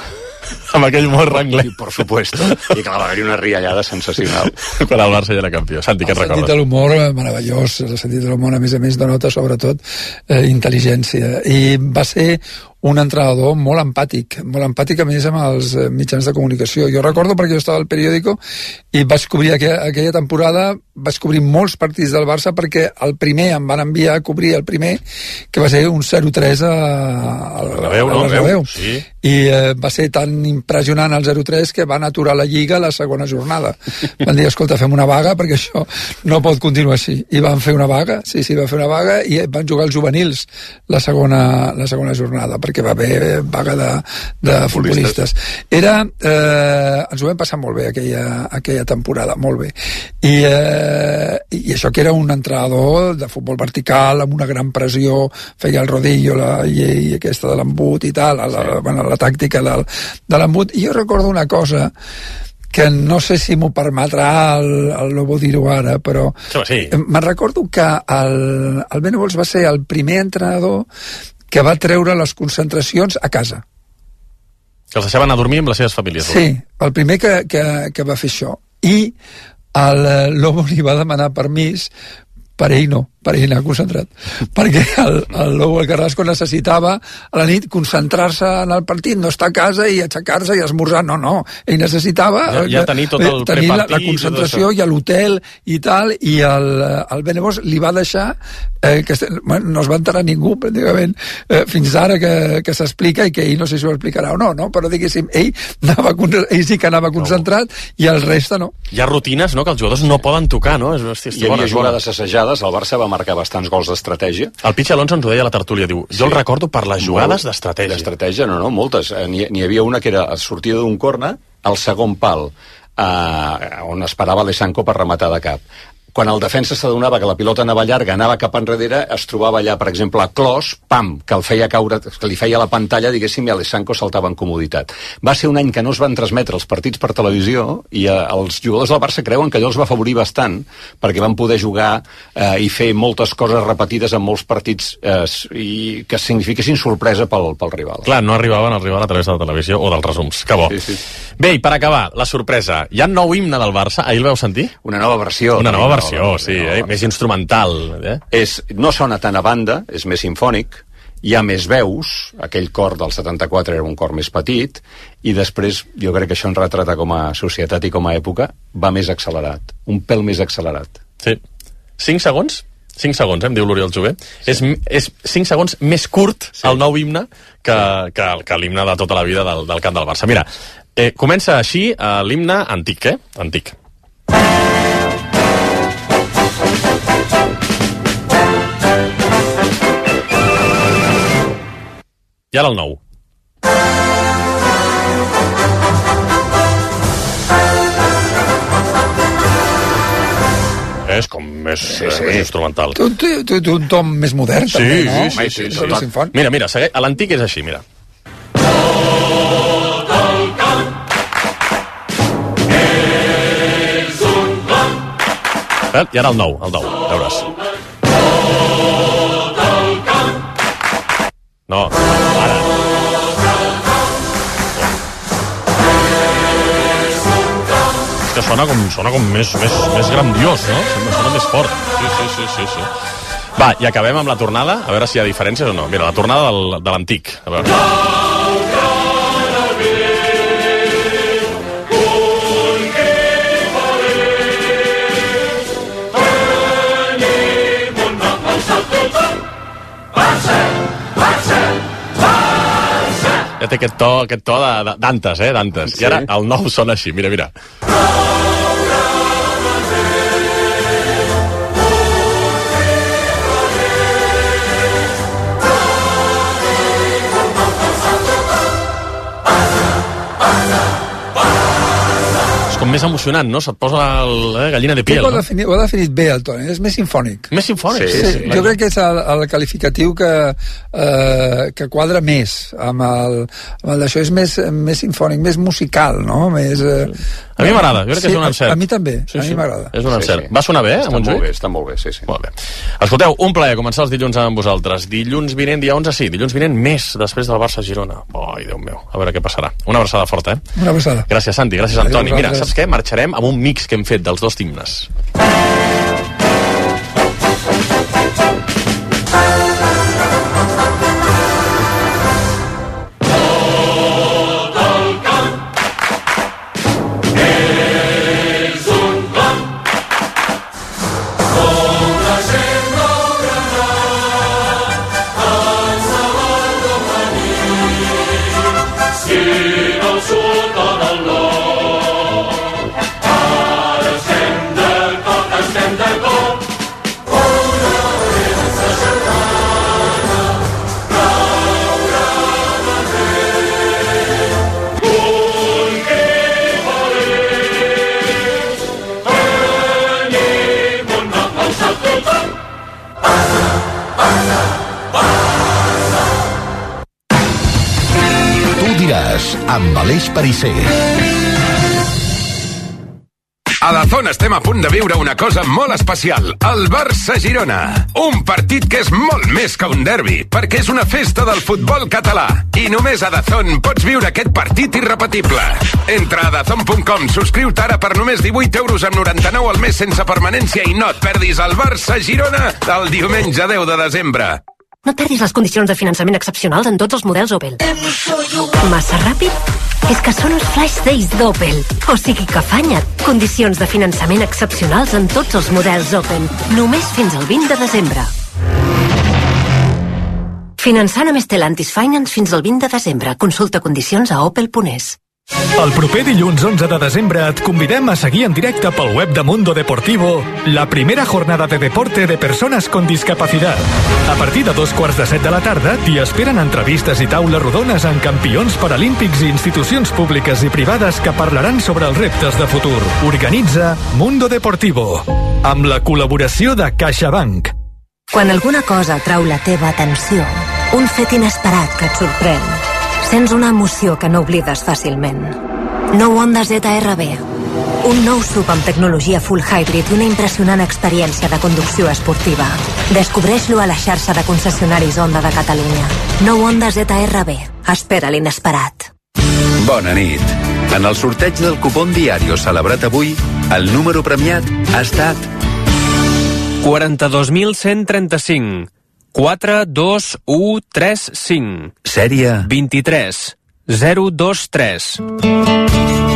Amb aquell humor anglès. Por supuesto. I clar, va haver una riallada sensacional. Quan el Barça ja era campió. Santi, què et recordes? El sentit de l'humor meravellós. El sentit de l'humor, a més, denota sobretot intel·ligència. I va ser un entrenador molt empàtic a més amb els mitjans de comunicació. Jo recordo perquè jo estava al periòdico i vaig cobrir aquella temporada, vaig cobrir molts partits del Barça perquè el primer em van enviar a cobrir el primer, que va ser un 0-3 al Bernabéu. Sí. I va ser tan impressionant el 0-3 que van aturar la Lliga a la segona jornada. Van dir, escolta, fem una vaga perquè això no pot continuar així. I van fer una vaga, va fer una vaga i van jugar els juvenils la segona jornada, perquè va haver vaga de futbolistes. Ens ho vam passar molt bé aquella temporada, molt bé. I això que era un entrenador de futbol vertical, amb una gran pressió, feia el rodillo, la llei aquesta de l'embut i tal, la tàctica de l'embut. I jo recordo una cosa que no sé si m'ho permetrà el Lobo dir-ho ara, però sí. Me'n recordo que el Venables va ser el primer entrenador que va treure les concentracions a casa. Que els deixaven anar a dormir amb les seves famílies. Sí, el primer que va fer això. I el Lobo li va demanar permís per ell anar concentrat. Perquè el Lobo, el Carrasco, necessitava a la nit concentrar-se en el partit, no estar a casa i aixecar-se i esmorzar. No. Ell necessitava ja tenir tot el prepartit, la concentració i l'hotel i tal, i el Venables li va deixar no es va enterar ningú, pràcticament, fins ara que s'explica, i que ell no sé si ho explicarà o no, però diguéssim, ell sí que anava concentrat i el reste no. Hi ha rutines, no?, que els jugadors no poden tocar, no? Hi havia jugades assajades, el Barça va marcar bastants gols d'estratègia. El Pichi Alonso ens ho deia a la tertúlia, diu, jo el recordo per les jugades d'estratègia. D'estratègia, no, moltes. N'hi havia una que era sortida d'un corna, al segon pal, on esperava l'Esanco per rematar de cap. Quan el defensa s'adonava que la pilota anava llarga, anava cap enrere, es trobava allà, per exemple, a Clos, que el feia caure, que li feia la pantalla, diguéssim, i l'Esanco saltava en comoditat. Va ser un any que no es van transmetre els partits per televisió i els jugadors del Barça creuen que allò els va afavorir bastant, perquè van poder jugar i fer moltes coses repetides en molts partits i que signifiquessin sorpresa pel rival. Clar, no arribaven a arribar a través de la televisió o dels resums. Que bo. Sí. Bé, i per acabar, la sorpresa. Hi ha un nou himne del Barça, ahir el vau sentir? Una nova versió. Sí, més instrumental. No sona tant a banda, és més simfònic, hi ha més veus, aquell cor del 74 era un cor més petit, i després jo crec que això ens retrata com a societat i com a època, va més accelerat, un pèl més accelerat. Sí. 5 segons? 5 segons, em diu l'Oriol Jové. Sí. És 5 segons més curt el nou himne que l'himne de tota la vida del camp del Barça. Mira, comença així l'himne antic, Antic. I ara el nou. És com més instrumental. Té un tom més modern, també, no? Sí. Mira, l'antic és així, mira. I ara el nou, veuràs. No, ara. És que sona com més grandiós, no? Sona més fort. Sí. Va, i acabem amb la tornada, a veure si hi ha diferències o no. Mira, la tornada de l'antic. A veure. Ja té aquest to d'Antes, d'Antes. I ara el nou sona així, mira. més emocionant, no? Se't posa gallina de piel, Ho ha definit bé el Toni, és més sinfònic. Més sinfònic? Sí. Jo crec que és el qualificatiu que quadra més amb el d'això, és més sinfònic, més musical, no? A mi m'agrada, jo crec que és un encert. A mi també, a mi m'agrada. És un encert. Va sonar bé, a Montjuïc? Està molt bé, sí. Molt bé. Escolteu, un plaer començar els dilluns amb vosaltres. Dilluns vinent, dia 11, sí, dilluns vinent més després del Barça-Girona. Ai, Déu meu, a veure què passarà. Una abraçada forta, Una abraçada. Gràcies, Santi, gràcies, Antoni. Mira, saps què? Marxarem amb un mix que hem fet dels dos himnes. amb Aleix Pariser. A Dazón estem a punt de viure una cosa molt especial, el Barça-Girona. Un partit que és molt més que un derbi, perquè és una festa del futbol català. I només a Dazón pots viure aquest partit irrepetible. Entra a dazón.com, subscriu-te ara per només 18,99 al mes sense permanència i no et perdis el Barça-Girona el diumenge 10 de desembre. No perdis les condicions de finançament excepcionals en tots els models Opel. Massa ràpid? És que són els Flash Days d'Opel. O sigui que afanya't. Condicions de finançament excepcionals en tots els models Opel. Només fins al 20 de desembre. Finançant amb Stellantis Finance fins al 20 de desembre. Consulta condicions a opel.es. El proper dilluns 11 de desembre et convidem a seguir en directe pel web de Mundo Deportivo la primera jornada de deporte de persones con discapacidad. A partir de 2:15 de la tarda t'hi esperen entrevistes i taules rodones amb campions paralímpics i institucions públiques i privades que parlaran sobre els reptes de futur. Organitza Mundo Deportivo, amb la col·laboració de CaixaBank. Quan alguna cosa atrau la teva atenció, un fet inesperat que et sorprèn, sents una emoció que no oblides fàcilment. Nou Honda ZR-B. Un nou SUV amb tecnologia full hybrid i una impressionant experiència de conducció esportiva. Descobreix-lo a la xarxa de concessionaris Honda de Catalunya. Nou Honda ZR-B. Espera l'inesperat. Bona nit. En el sorteig del cupón Diario celebrat avui, el número premiat ha estat 42.135. 42135. Sèrie 23023.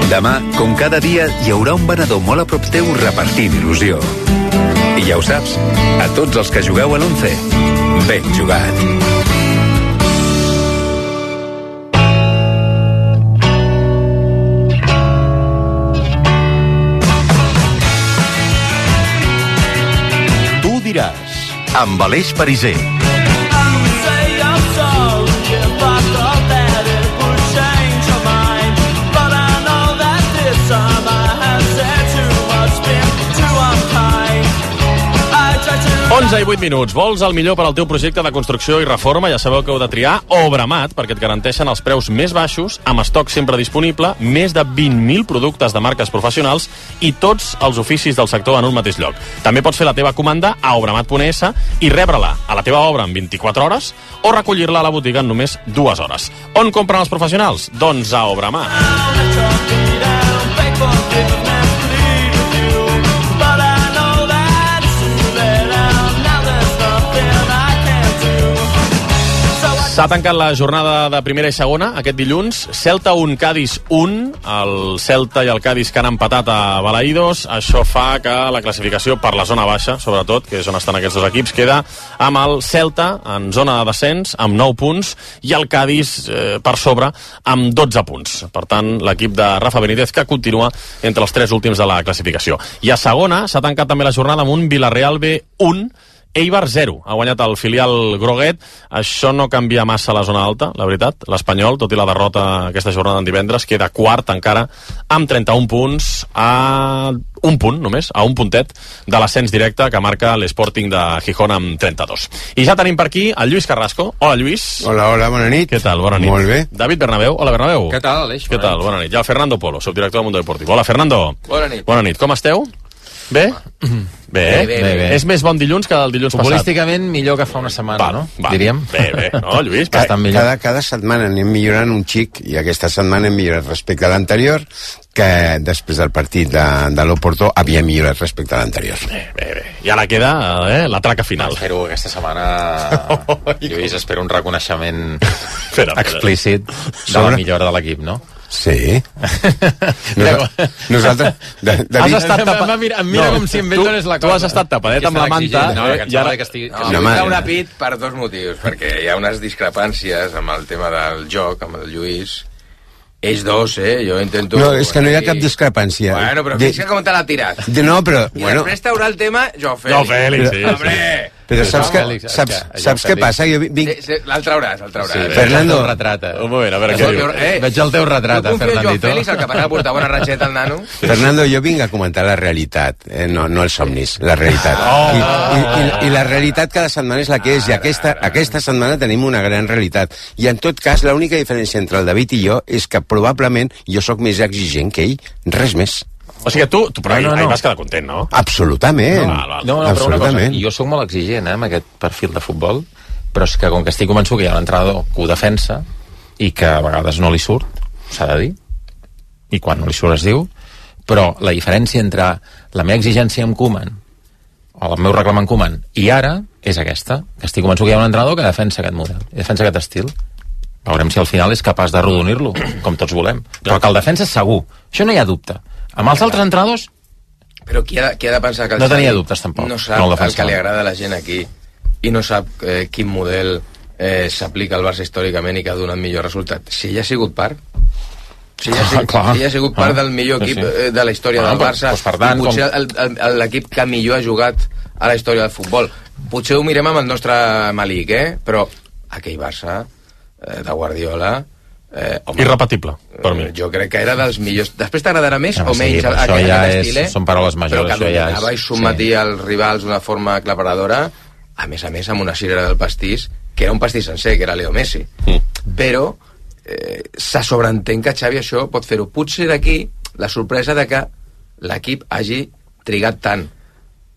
Demà, com cada dia, hi haurà un venedor molt a prop teu repartint il·lusió. I ja ho saps, a tots els que jugueu a l'11, ben jugat. Tu diràs, amb Aleix Pariser. I 8 minuts. Vols el millor per al teu projecte de construcció i reforma? Ja sabeu que heu de triar Obramat, perquè et garanteixen els preus més baixos, amb estoc sempre disponible, més de 20.000 productes de marques professionals i tots els oficis del sector en un mateix lloc. També pots fer la teva comanda a obramat.es i rebre-la a la teva obra en 24 hores o recollir-la a la botiga en només 2 hores. On compren els professionals? Doncs a Obramat. S'ha tancat la jornada de primera i segona aquest dilluns. Celta 1, Cádiz 1. El Celta i el Cádiz que han empatat a Balaïdos. Això fa que la classificació per la zona baixa, sobretot, que és on estan aquests dos equips, queda amb el Celta en zona de descens, amb 9 punts, i el Cádiz per sobre amb 12 punts. Per tant, l'equip de Rafa Benítez que continua entre els 3 últims de la classificació. I a segona s'ha tancat també la jornada amb un Villarreal B 1 Eibar 0. Ha guanyat el filial groguet. Això no canvia massa la zona alta, la veritat. L'Espanyol, tot i la derrota aquesta jornada en divendres, queda quart encara amb 31 punts a un punt només, a un puntet de l'ascens directe que marca l'Sporting de Gijón amb 32. I ja tenim per aquí el Lluís Carrasco. Hola, Lluís. Hola, bona nit. Què tal? Bona nit. Molt bé. David Bernabéu. Hola, Bernabéu. Què tal, Aleix? Què tal? Bona nit. I el Fernando Polo, subdirector del Mundo Deportivo. Hola, Fernando. Bona nit. Bona nit. Com esteu? Bé? Bé. És més bon dilluns que el dilluns passat. Futbolísticament millor que fa una setmana, no? Diríem. Bé. No, Lluís? Bastant millor. Cada setmana anem millorant un xic, i aquesta setmana hem millorat respecte a l'anterior, que després del partit de l'Oporto havia millorat respecte a l'anterior. Bé. I ara queda la traca final. Espero aquesta setmana, Lluís, espero un reconeixement explícit de la millora de l'equip, no? Sí. Nosaltres... Has estat tapat... Em mira com si em dones la cosa. Tu has estat tapadet amb la manta... I ara que estigui... No, m'he un apit per dos motius, perquè hi ha unes discrepàncies amb el tema del joc, amb el Lluís. Ells dos, jo intento... No, és que no hi ha cap discrepància. Bueno, però fixa com te l'ha tirat. No, però... I després t'haurà el tema Joao Félix. Joao Félix, sí. Hombre! Però saps què passa? Jo vinc... L'al trauràs. Fernando... Un moment, a veure què diu. Veig el teu retrat, Fernandito. Jo confio en Joao Félix, el capaç de portar bona ratxeta al nano. Fernando, jo vinc a comentar la realitat, no els somnis, la realitat. I la realitat cada setmana és la que és, i aquesta setmana tenim una gran realitat. I en tot cas, l'única diferència entre el David i jo és que probablement jo sóc més exigent que ell, res més. O sigui que tu però ahir vas quedar content, no? Absolutament. No, però una cosa, jo sóc molt exigent amb aquest perfil de futbol, però és que com que estic convençut que hi ha un entrenador que ho defensa i que a vegades no li surt, s'ha de dir, i quan no li surt es diu, però la diferència entre la meva exigència amb Koeman o el meu reclam amb Koeman i ara és aquesta, que estic convençut que hi ha un entrenador que defensa aquest model, defensa aquest estil. Veurem si al final és capaç de rodonir-lo, com tots volem. Però que el defensa és segur, això no hi ha dubte. Amb els altres entrenadors... Però qui ha de pensar que el no tenia dubtes, tampoc. No sap el que li agrada a la gent aquí i no sap quin model s'aplica al Barça històricament i que ha donat millor resultat. Si ell ha sigut part, si ell ha sigut part del millor equip de la història del Barça, per tant, potser l'equip que millor ha jugat a la història del futbol. Potser ho mirem amb el nostre malic, però aquell Barça de Guardiola... irrepetible, per mi. Jo crec que era dels millors. Després t'agradarà més o menys aquest estil, però són paraules majors, que dominava i sometia els rivals d'una forma aclaparadora, a més, amb una cirera del pastís, que era un pastís sencer, que era Leo Messi. Però se sobreentén que Xavi això pot fer-ho. Potser d'aquí la sorpresa de que l'equip hagi trigat tant.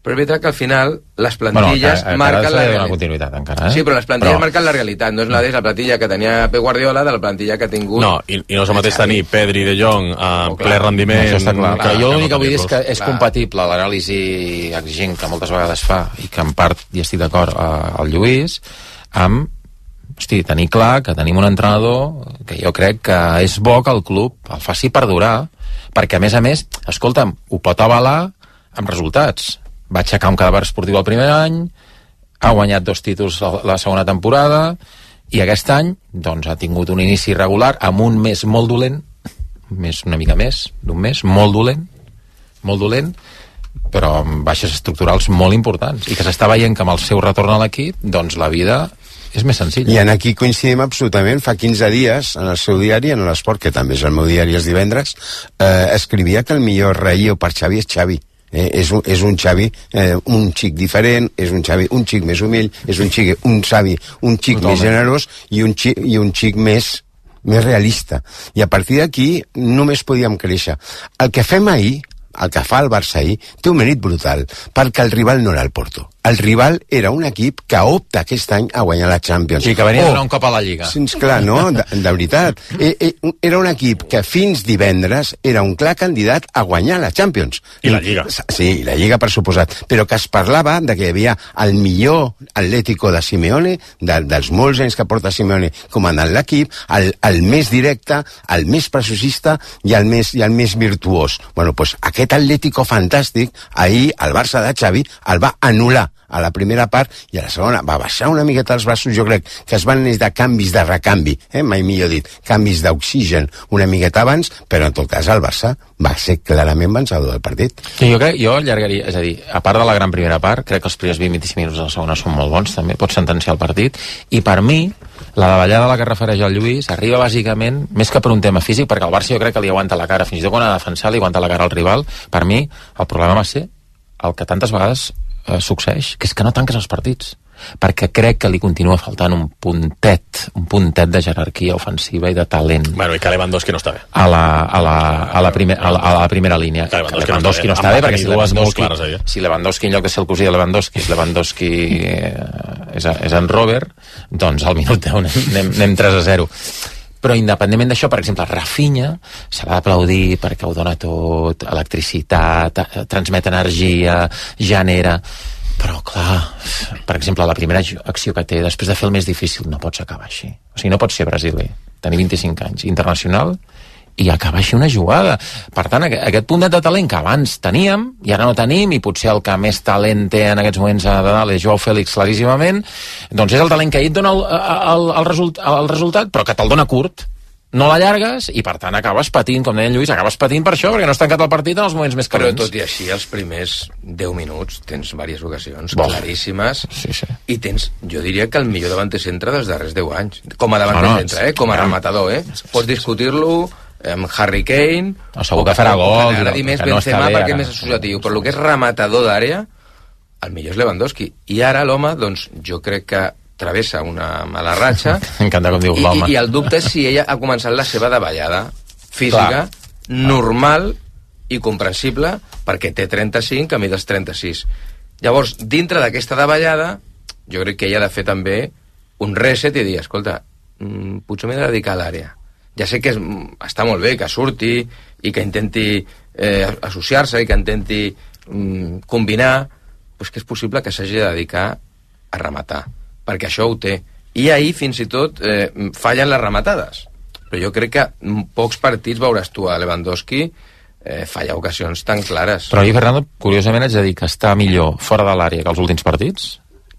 Però és veritat que al final les plantilles marquen la realitat. Continuïtat, encara, Sí, però les plantilles marquen la realitat. No és la plantilla que tenia Pep Guardiola de la plantilla que ha tingut... No, i no és el mateix tenir Pedri de Jong a ple rendiment... Això està clar. Que jo l'únic que vull dir és que és compatible l'anàlisi exigent que moltes vegades fa i que en part hi estic d'acord al Lluís amb tenir clar que tenim un entrenador que jo crec que és bo que el club el faci perdurar, perquè a més, escolta'm, ho pot avalar amb resultats. Va aixecar un cadàver esportiu el primer any, ha guanyat 2 títols la segona temporada, i aquest any doncs ha tingut un inici irregular amb un mes molt dolent, una mica més d'un mes, molt dolent, però amb baixes estructurals molt importants, i que s'està veient que amb el seu retorn a l'equip, doncs la vida és més senzilla. I en aquí coincidim absolutament. Fa 15 dies, en el seu diari, en l'Esport, que també és el meu diari els divendres, escrivia que el millor relleu per Xavi és Xavi. És un Xavi un xic diferent, és un Xavi un xic més humil, és un Xavi un xic més generós i un xic més realista. I a partir d'aquí només podíem créixer. El que fem ahir, el que fa el Barça ahir, té un mèrit brutal, perquè el rival no era el Porto. El rival era un equip que opta aquest any a guanyar la Champions. Sí, que venia a donar un cop a la Lliga. Sí, clar, no? De veritat. Era un equip que fins divendres era un clar candidat a guanyar la Champions. I la Lliga. Sí, la Lliga, per suposat. Però que es parlava de que hi havia el millor Atlético de Simeone, dels molts anys que porta Simeone comandant l'equip, el més directe, el més preciosista i el més virtuós. Bueno, doncs aquest Atlético fantàstic, ahir el Barça de Xavi el va anul·lar a la primera part, i a la segona va baixar una miqueta els braços. Jo crec que es van necessitar canvis de recanvi, mai millor dit, canvis d'oxigen una miqueta abans, però en tot cas el Barça va ser clarament vencedor del partit. Jo allargaria, és a dir, a part de la gran primera part, crec que els primers 20-25 minuts de la segona són molt bons, també pot sentenciar el partit, i per mi la davallada a la que refereix el Lluís arriba bàsicament, més que per un tema físic, perquè el Barça jo crec que li aguanta la cara, fins i tot quan ha de defensar li aguanta la cara al rival. Per mi el problema va ser el que tantes vegades succeeix, que és que no tanques els partits, perquè crec que li continua faltant un puntet de jerarquia ofensiva i de talent. Bueno, i que Lewandowski no està bé. A la primera línia. Que Lewandowski no està bé, perquè si Lewandowski en lloc de ser el cosí de Lewandowski és en Robert, doncs al minut 10 anem 3-0. Però independentment d'això, per exemple, Rafinha s'ha d'aplaudir perquè ho dona tot, electricitat, transmet energia, genera... Però, clar, per exemple, la primera acció que té, després de fer el més difícil, no pots acabar així. O sigui, no pots ser brasiler, tenir 25 anys, internacional, i acabar així una jugada. Per tant, aquest puntet de talent que abans teníem, i ara no tenim, i potser el que més talent té en aquests moments a dalt és Joao Félix claríssimament, doncs és el talent que ell et dona el resultat, però que te'l dona curt. No l'allargues i, per tant, acabes patint, com deia en Lluís, acabes patint per això, perquè no has tancat el partit en els moments més calents. Però tot i així, els primers 10 minuts tens diverses ocasions claríssimes i tens, jo diria que el millor davanter centre dels darrers 10 anys. Com a davanter centre, com a rematador, Pots discutir-lo amb Harry Kane... Segur que farà gol. M'agradi més Benzema perquè és més associatiu, però el que és rematador d'àrea, el millor és Lewandowski. I ara l'home, doncs, jo crec que travessa una mala ratxa i el dubte és si ella ha començat la seva davallada física normal i comprensible perquè té 35 a mi dels 36. Llavors, dintre d'aquesta davallada jo crec que ella ha de fer també un reset i dir, escolta, potser m'he de dedicar a l'àrea. Ja sé que està molt bé que surti i que intenti associar-se i que intenti combinar, però és que és possible que s'hagi de dedicar a rematar, perquè això ho té. I ahir, fins i tot, fallen les rematades. Però jo crec que en pocs partits veuràs tu a Lewandowski fallar ocasions tan clares. Però ahir, Fernando, curiosament haig de dir que està millor fora de l'àrea que els últims partits.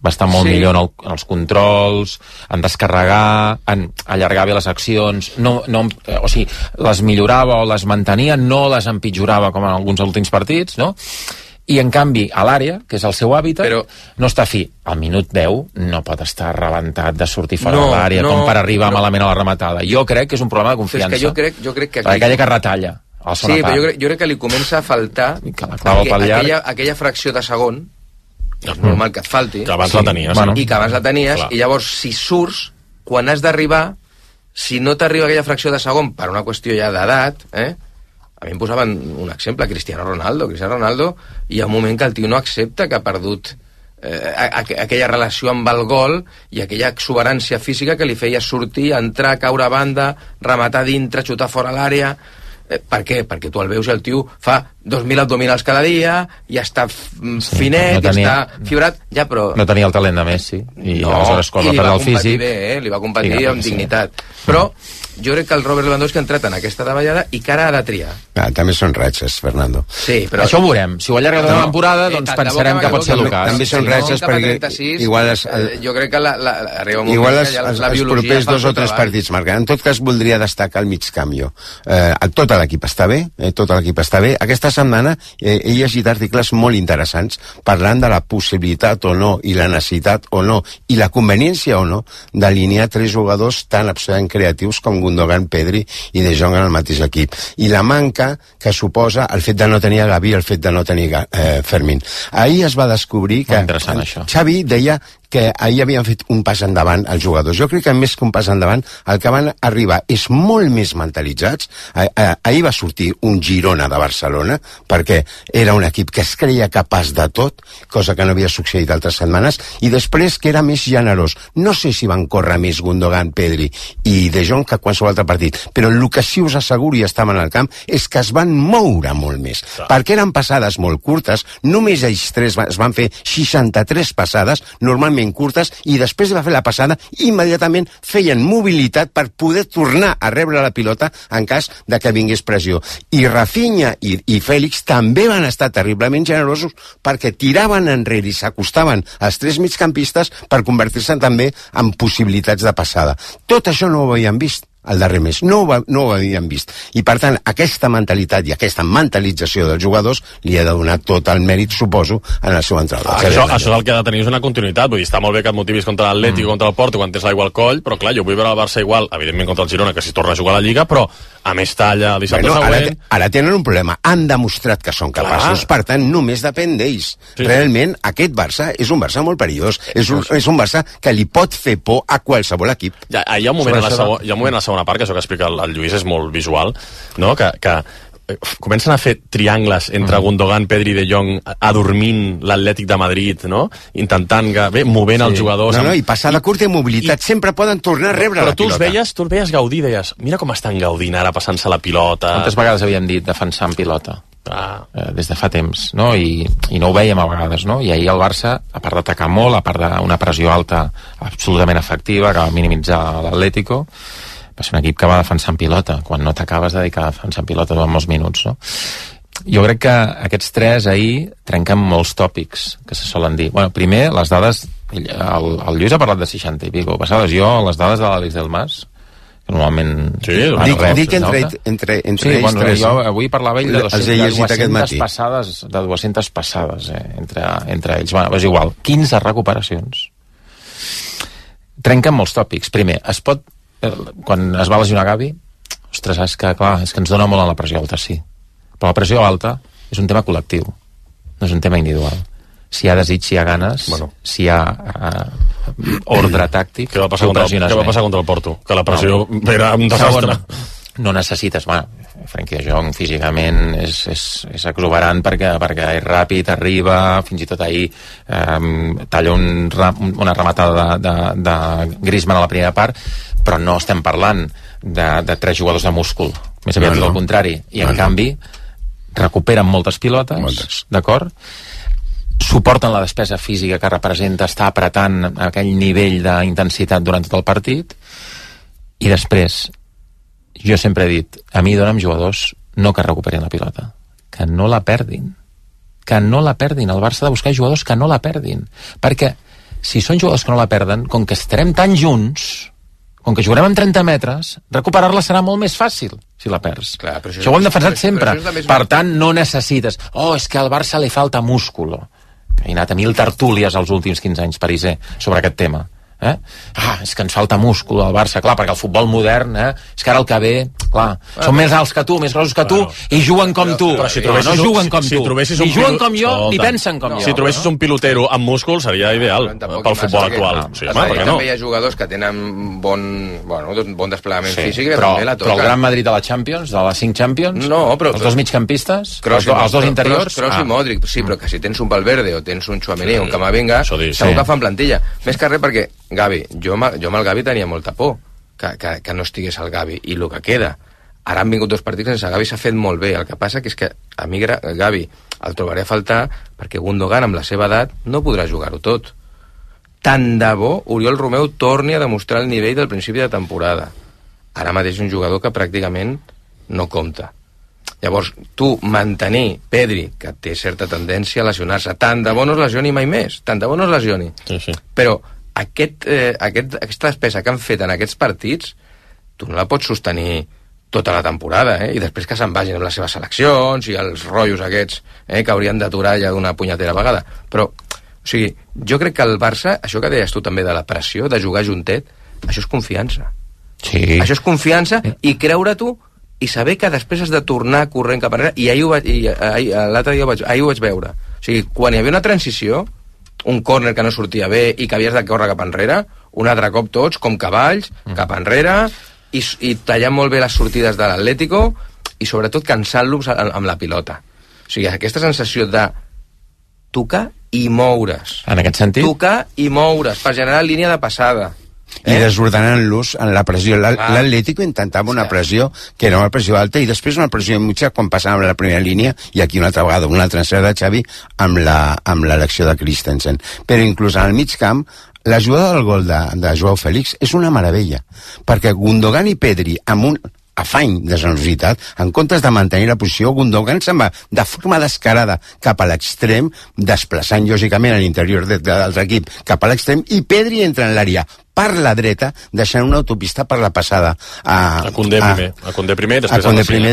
Va estar molt millor en els controls, en descarregar, en allargar bé les accions, o sigui, les millorava o les mantenia, no les empitjorava com en alguns últims partits, no? I, en canvi, a l'àrea, que és el seu hàbitat, no està fi. Al minut 10 no pot estar rebentat de sortir fora de l'àrea com per arribar malament a la rematada. Jo crec que és un problema de confiança. És que jo crec que... Aquella que retalla. Sí, però jo crec que li comença a faltar aquella fracció de segon, és normal que et falti, que abans la tenies, i que abans la tenies, i llavors, si surts, quan has d'arribar, si no t'arriba aquella fracció de segon per una qüestió ja d'edat, a mi em posaven un exemple, Cristiano Ronaldo, hi ha un moment que el tio no accepta que ha perdut aquella relació amb el gol i aquella exuberància física que li feia sortir, entrar, caure a banda, rematar dintre, xutar fora l'àrea. Per què? Perquè tu el veus i el tio fa 2.000 abdominals cada dia i està finet, i està fibrat, però... No tenia el talent de Messi i aleshores quan va perdre el físic... li va competir amb dignitat. Però jo crec que el Robert Lewandowski ha entrat en aquesta davallada i que ara ha de triar. També són ratxes, Fernando. Sí, però... Això ho veurem. Si ho allarga tota la temporada, doncs pensarem que pot ser l'ocàs. També són ratxes perquè igual... Jo crec que arriba un moment que els propers 2 o 3 partits marquen. En tot cas, voldria destacar el mig canvi. Tot l'equip està bé, Aquesta setmana he llegit articles molt interessants parlant de la possibilitat o no i la necessitat o no i la conveniència o no d'alinear 3 jugadors tan absolutament creatius com Gundogan, Pedri i De Jong en el mateix equip. I la manca que suposa el fet de no tenir Gavi, el fet de no tenir Fermín. Ahir es va descobrir que Xavi deia que ahir havien fet un pas endavant els jugadors. Jo crec que més que un pas endavant, el que van arribar és molt més mentalitzats. Ahir va sortir un Girona de Barcelona, perquè era un equip que es creia capaç de tot, cosa que no havia succeït altres setmanes, i després que era més generós. No sé si van córrer més Gundogan, Pedri i De Jong que qualsevol altre partit, però el que sí us asseguro i estaven al camp és que es van moure molt més, perquè eren passades molt curtes, només ells 3 es van fer 63 passades, normalment relativament curtes, i després de fer la passada, immediatament feien mobilitat per poder tornar a rebre la pilota en cas de que vingués pressió. I Rafinha i Fèlix també van estar terriblement generosos perquè tiraven enrere i s'acostaven als tres migcampistes per convertir-se també en possibilitats de passada. Tot això no ho havíem vist el darrer mes, no ho havíem vist, i per tant aquesta mentalitat i aquesta mentalització dels jugadors li ha de donar tot el mèrit, suposo, en el seu entrenador. Això el que ha de tenir és una continuïtat, vull dir, està molt bé que et motivis contra l'Atlètic o contra el Porto quan tens l'aigua al coll, però clar, jo vull veure el Barça igual, evidentment contra el Girona, que si torna a jugar a la Lliga, però a més talla el dissabte següent... Ara tenen un problema, han demostrat que són capaços, per tant només depèn d'ells. Realment aquest Barça és un Barça molt perillós, és un Barça que li pot fer por a qualsevol equip. Hi ha un moment a la segona part, que això que explica el Lluís és molt visual, no? Que comencen a fer triangles entre Gundogan, Pedri i De Jong adormint l'Atlètic de Madrid, no? Intentant, movent els jugadors... I passada curta i mobilitat, sempre poden tornar a rebre la pilota. Però tu els veies gaudir, deies, mira com estan gaudint ara passant-se la pilota... Quantes vegades havien dit defensant pilota? Des de fa temps, no? I no ho veiem a vegades, no? I ahir el Barça, a part d'atacar molt, a part d'una pressió alta absolutament efectiva que va minimitzar l'Atlético, va ser un equip que va defensar en pilota, quan no t'acabes de dedicar a defensar en pilota durant molts minuts, no? Jo crec que aquests tres ahir trenquen molts tòpics que se solen dir. Bueno, primer, les dades... El Lluís ha parlat de 60 i pico passades. Jo, les dades de l'Àlex del Mas, que normalment... Dic entre ells tres. Jo avui parlava ell de 200 passades entre ells. Bueno, és igual. 15 recuperacions. Trenquen molts tòpics. Primer, es pot... Quan es va lesionar Gavi, ostres, és que ens dona molt a la pressió alta, sí. Però la pressió alta és un tema col·lectiu, no és un tema individual. Si hi ha desig, si hi ha ganes, si hi ha ordre tàctic... Què va passar contra el Porto? Que la pressió era un desastre. No necessites... Frenkie de Jong físicament és exuberant perquè és ràpid, arriba, fins i tot ahir talla una rematada de Griezmann a la primera part, però no estem parlant de tres jugadors de múscul, més aviat del contrari, i en canvi recuperen moltes pilotes, d'acord? Suporten la despesa física que representa estar apretant aquell nivell d'intensitat durant tot el partit, i després jo sempre he dit, a mi dona'm jugadors no que recuperin la pilota, que no la perdin, el Barça ha de buscar jugadors que no la perdin, perquè si són jugadors que no la perden, com que estarem tan junts, com que jugarem en 30 metres, recuperar-la serà molt més fàcil si la perds. Clar, això ho hem defensat sempre. Per tant, no necessites és que al Barça li falta músculo. He anat a 1000 tertúlies els últims 15 anys, Pariser, sobre aquest tema. És que ens falta múscul al Barça, clar, perquè el futbol modern, és que ara el que ve, clar, són més alts que tu, més grossos que tu, i juguen com tu. Però si no juguen com tu. Ni juguen com jo, ni pensen com jo. Si trobessis un pilotero amb múscul seria ideal pel futbol actual. També hi ha jugadors que tenen bon desplegament físic, però el Gran Madrid de la Champions, de les 5 Champions, els dos migcampistes, els dos interiors... Kroos i Modric, sí, però que si tens un Valverde o tens un Tchouaméni o un Camavinga, segur que fan plantilla. Més que res perquè Gavi, jo amb el Gavi tenia molta por que no estigués el Gavi, i el que queda, ara han vingut 2 partits sense Gavi, s'ha fet molt bé. El que passa que és que a mi Gavi el trobaré a faltar perquè Gundogan amb la seva edat no podrà jugar-ho tot. Tant de bo Oriol Romeu torni a demostrar el nivell del principi de temporada. Ara mateix és un jugador que pràcticament no compta. Llavors, tu mantenir Pedri, que té certa tendència a lesionar-se, tant de bo no es lesioni mai més, tant de bo no es lesioni. Però aquesta despesa que han fet en aquests partits, tu no la pots sostenir tota la temporada, i després que se'n vagin amb les seves seleccions i els rotllos aquests, que haurien d'aturar ja d'una punyetera vegada. Però, o sigui, jo crec que el Barça, això que deies tu també de la pressió, de jugar juntet, això és confiança. Sí. Això és confiança i creure tu i saber que després has de tornar corrent cap enrere, i l'altre dia ho vaig veure. O sigui, quan hi havia una transició, un córner que no sortia bé i que havies de córrer cap enrere, un altre cop tots, com cavalls, cap enrere, i tallant molt bé les sortides de l'Atlético, i sobretot cansant-los amb la pilota. O sigui, aquesta sensació de tocar i moure's. En aquest sentit? Tocar i moure's, per generar línia de passada. i desordenant-los en la pressió. L'Atlético intentava una pressió que era una pressió alta i després una pressió mitja quan passàvem a la primera línia, i aquí una altra vegada una altra encert de Xavi amb l'elecció de Christensen. Però inclús en el mig camp la jugada del gol de Joao Félix és una meravella, perquè Gundogan i Pedri amb un afany de generositat, en comptes de mantenir la posició, Gundogan se'n va de forma descarada cap a l'extrem, desplaçant lògicament a l'interior de l'altre equip cap a l'extrem, i Pedri entra en l'àrea per la dreta, deixant una autopista per la passada a Koundé primer,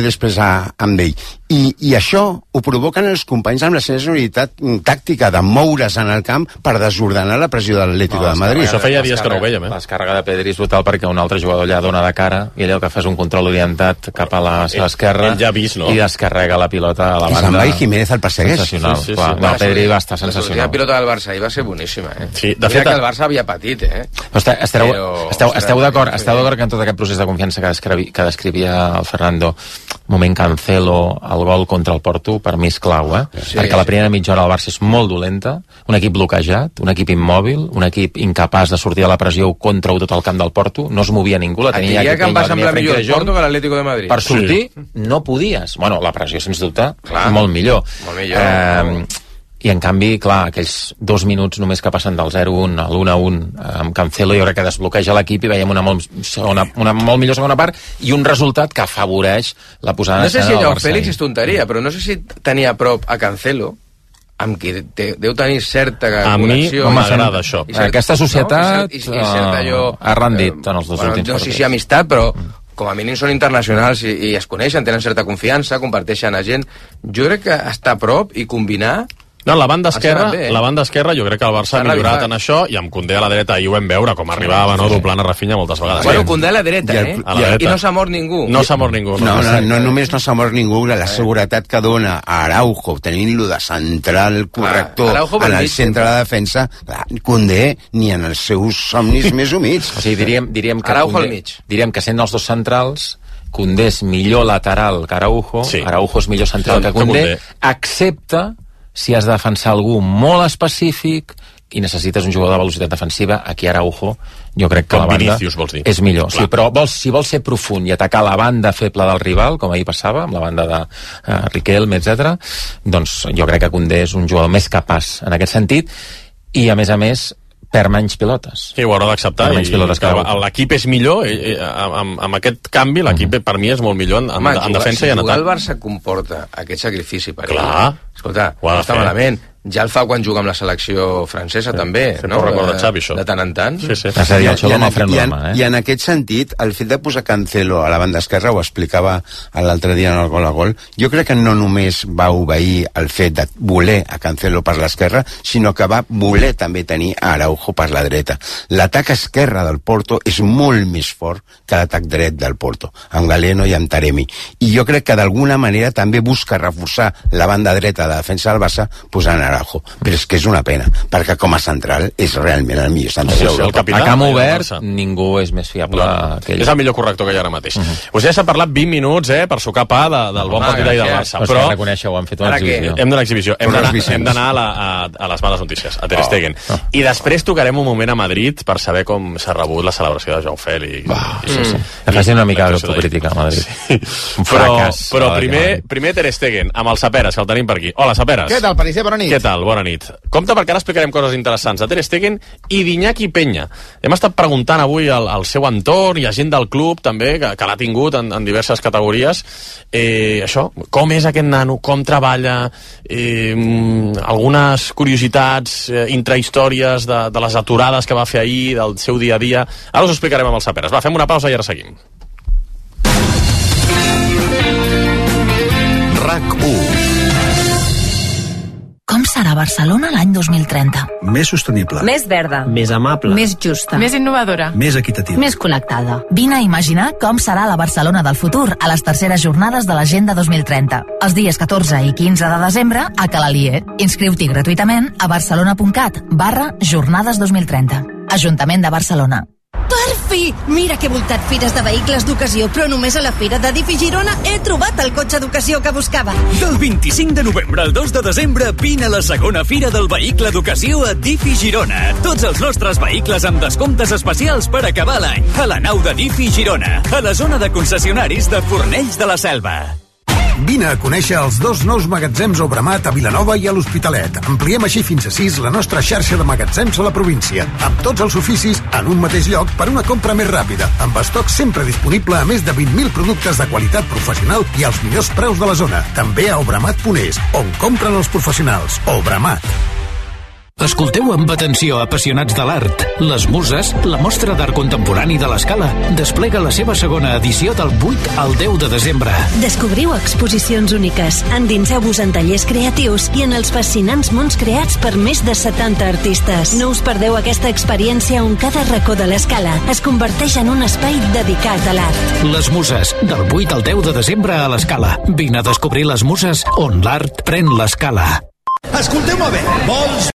després amb ell. I això ho provoquen els companys amb la seva generositat tàctica de moure's en el camp per desordenar la pressió de l'Atlético de Madrid. Això feia dies que no ho vèiem, La descàrrega de Pedri és brutal perquè un altre jugador allà dona de cara i ell el que fa és un control orientat cap a la seva esquerra i descarrega la pilota a la banda. I se'n va i Jiménez el persegueix. Pedri va estar sensacional. La pilota del Barça ahir va ser boníssima. Sí, de fet, que el Barça havia patit, Esteu d'acord que en tot aquest procés de confiança que descrivia el Fernando, moment Cancelo, el gol contra el Porto, per mi és clau, perquè la primera mitja hora del Barça és molt dolenta, un equip bloquejat, un equip immòbil, un equip incapaç de sortir a la pressió contra tot el camp del Porto, no es movia ningú, la tenia que em va semblar millor el Porto que l'Atlético de Madrid. Per sortir no podies. Bueno, la pressió, sens dubte, molt millor. I en canvi, clar, aquells 2 minuts només que passen del 0-1 a l'1-1 amb Cancelo, jo crec que desbloqueja l'equip i veiem una molt millor segona part i un resultat que afavoreix la posada en escena del Barça. No sé si Félix és tonteria, però no sé si tenia a prop a Cancelo, amb qui deu tenir certa connexió. A mi m'agrada això. Aquesta societat ha rendit en els dos últims partits. No sé si amistat, però com a mínim són internacionals i es coneixen, tenen certa confiança, comparteixen a gent. Jo crec que estar a prop i combinar... No, la banda esquerra jo crec que el Barça ha millorat en això, i amb Koundé a la dreta ahir ho vam veure com arribava, doblant a Rafinha moltes vegades. Bueno, Koundé a la dreta, i no s'ha mort ningú. No s'ha mort ningú. No només no s'ha mort ningú, la seguretat que dona a Araujo, tenint-lo de central corrector en el centre de la defensa, Koundé ni en els seus somnis més humits. O sigui, diríem que sent els dos centrals, Koundé és millor lateral que Araujo, Araujo és millor central que Koundé, excepte si has de defensar algú molt específic i necessites un jugador de velocitat defensiva, aquí Araujo jo crec que la banda és millor. Sí, però si vols ser profund i atacar la banda feble del rival, com ahir passava, amb la banda de Riquelme, etc., doncs jo crec que Koundé és un jugador més capaç en aquest sentit, i a més perd menys pilotes. Sí, ho haurà d'acceptar. L'equip és millor, amb aquest canvi l'equip per mi és molt millor en defensa i en atac. Si el Barça comporta aquest sacrifici per ell, escolta, no està malament. Ja el fa quan juga amb la selecció francesa, també, no? Recorda Xavi, això. De tant en tant. I en aquest sentit, el fet de posar Cancelo a la banda esquerra, ho explicava l'altre dia en el gol a gol, jo crec que no només va obeir el fet de voler a Cancelo per l'esquerra, sinó que va voler també tenir a Araujo per la dreta. L'atac esquerre del Porto és molt més fort que l'atac dret del Porto, amb Galeno i amb Taremi. I jo crec que d'alguna manera també busca reforçar la banda dreta de la defensa del Barça posant Araujo. Però és que és una pena, perquè com a central és realment el millor central. A camp obert ningú és més fiable que ell. És el millor corrector que hi ha ara mateix. Us ja s'ha parlat 20 minuts per sucar pa del bon partit d'ahir del Barça, però hem fet una exhibició. Hem d'anar a exhibició, hem d'anar a les males notícies, a Ter Stegen, i després tocarem un moment a Madrid per saber com s'ha rebut la celebració de Joao Félix. Facin una mica d'autocrítica a Madrid. Però primer Ter Stegen, amb el Saperas, que el tenim per aquí. Hola, Saperas. Què tal, Pariser? Bona nit. Què tal? Bona nit. Compte, perquè ara explicarem coses interessants de Ter Stegen i d'Iñaki Peña. Hem estat preguntant avui al seu entorn i a gent del club també, que l'ha tingut en diverses categories, això, com és aquest nano, com treballa, algunes curiositats, intrahistòries de les aturades que va fer ahir, del seu dia a dia. Ara us ho explicarem amb el Saperas. Va, fem una pausa i ara seguim. RAC1. Com serà Barcelona l'any 2030? Més sostenible. Més verda. Més amable. Més justa. Més innovadora. Més equitativa. Més connectada. Vine a imaginar com serà la Barcelona del futur a les terceres jornades de l'Agenda 2030. Els dies 14 i 15 de desembre a Calalier. Inscriu-t'hi gratuïtament a barcelona.cat/jornades 2030. Ajuntament de Barcelona. Per fi! Mira que he voltat fires de vehicles d'ocasió, però només a la Fira de Difi Girona he trobat el cotxe d'ocasió que buscava. Del 25 de novembre al 2 de desembre vine a la segona Fira del Vehicle d'Ocasió a Difi Girona. Tots els nostres vehicles amb descomptes especials per acabar l'any. A la nau de Difi Girona, a la zona de concessionaris de Fornells de la Selva. Vine a conèixer els 2 nous magatzems Obramat a Vilanova i a l'Hospitalet. Ampliem així fins a 6 la nostra xarxa de magatzems a la província, amb tots els oficis en un mateix lloc per una compra més ràpida, amb estoc sempre disponible a més de 20.000 productes de qualitat professional i als millors preus de la zona. També a obramat.es, on compren els professionals. Obramat. Escolteu amb atenció, apassionats de l'art. Les Muses, la mostra d'art contemporani de l'Escala, desplega la seva segona edició del 8 al 10 de desembre. Descobriu exposicions úniques, endinseu-vos en tallers creatius i en els fascinants mons creats per més de 70 artistes. No us perdeu aquesta experiència on cada racó de l'Escala es converteix en un espai dedicat a l'art. Les Muses, del 8 al 10 de desembre a l'Escala. Vine a descobrir les Muses on l'art pren l'escala. Escolteu-me bé, vols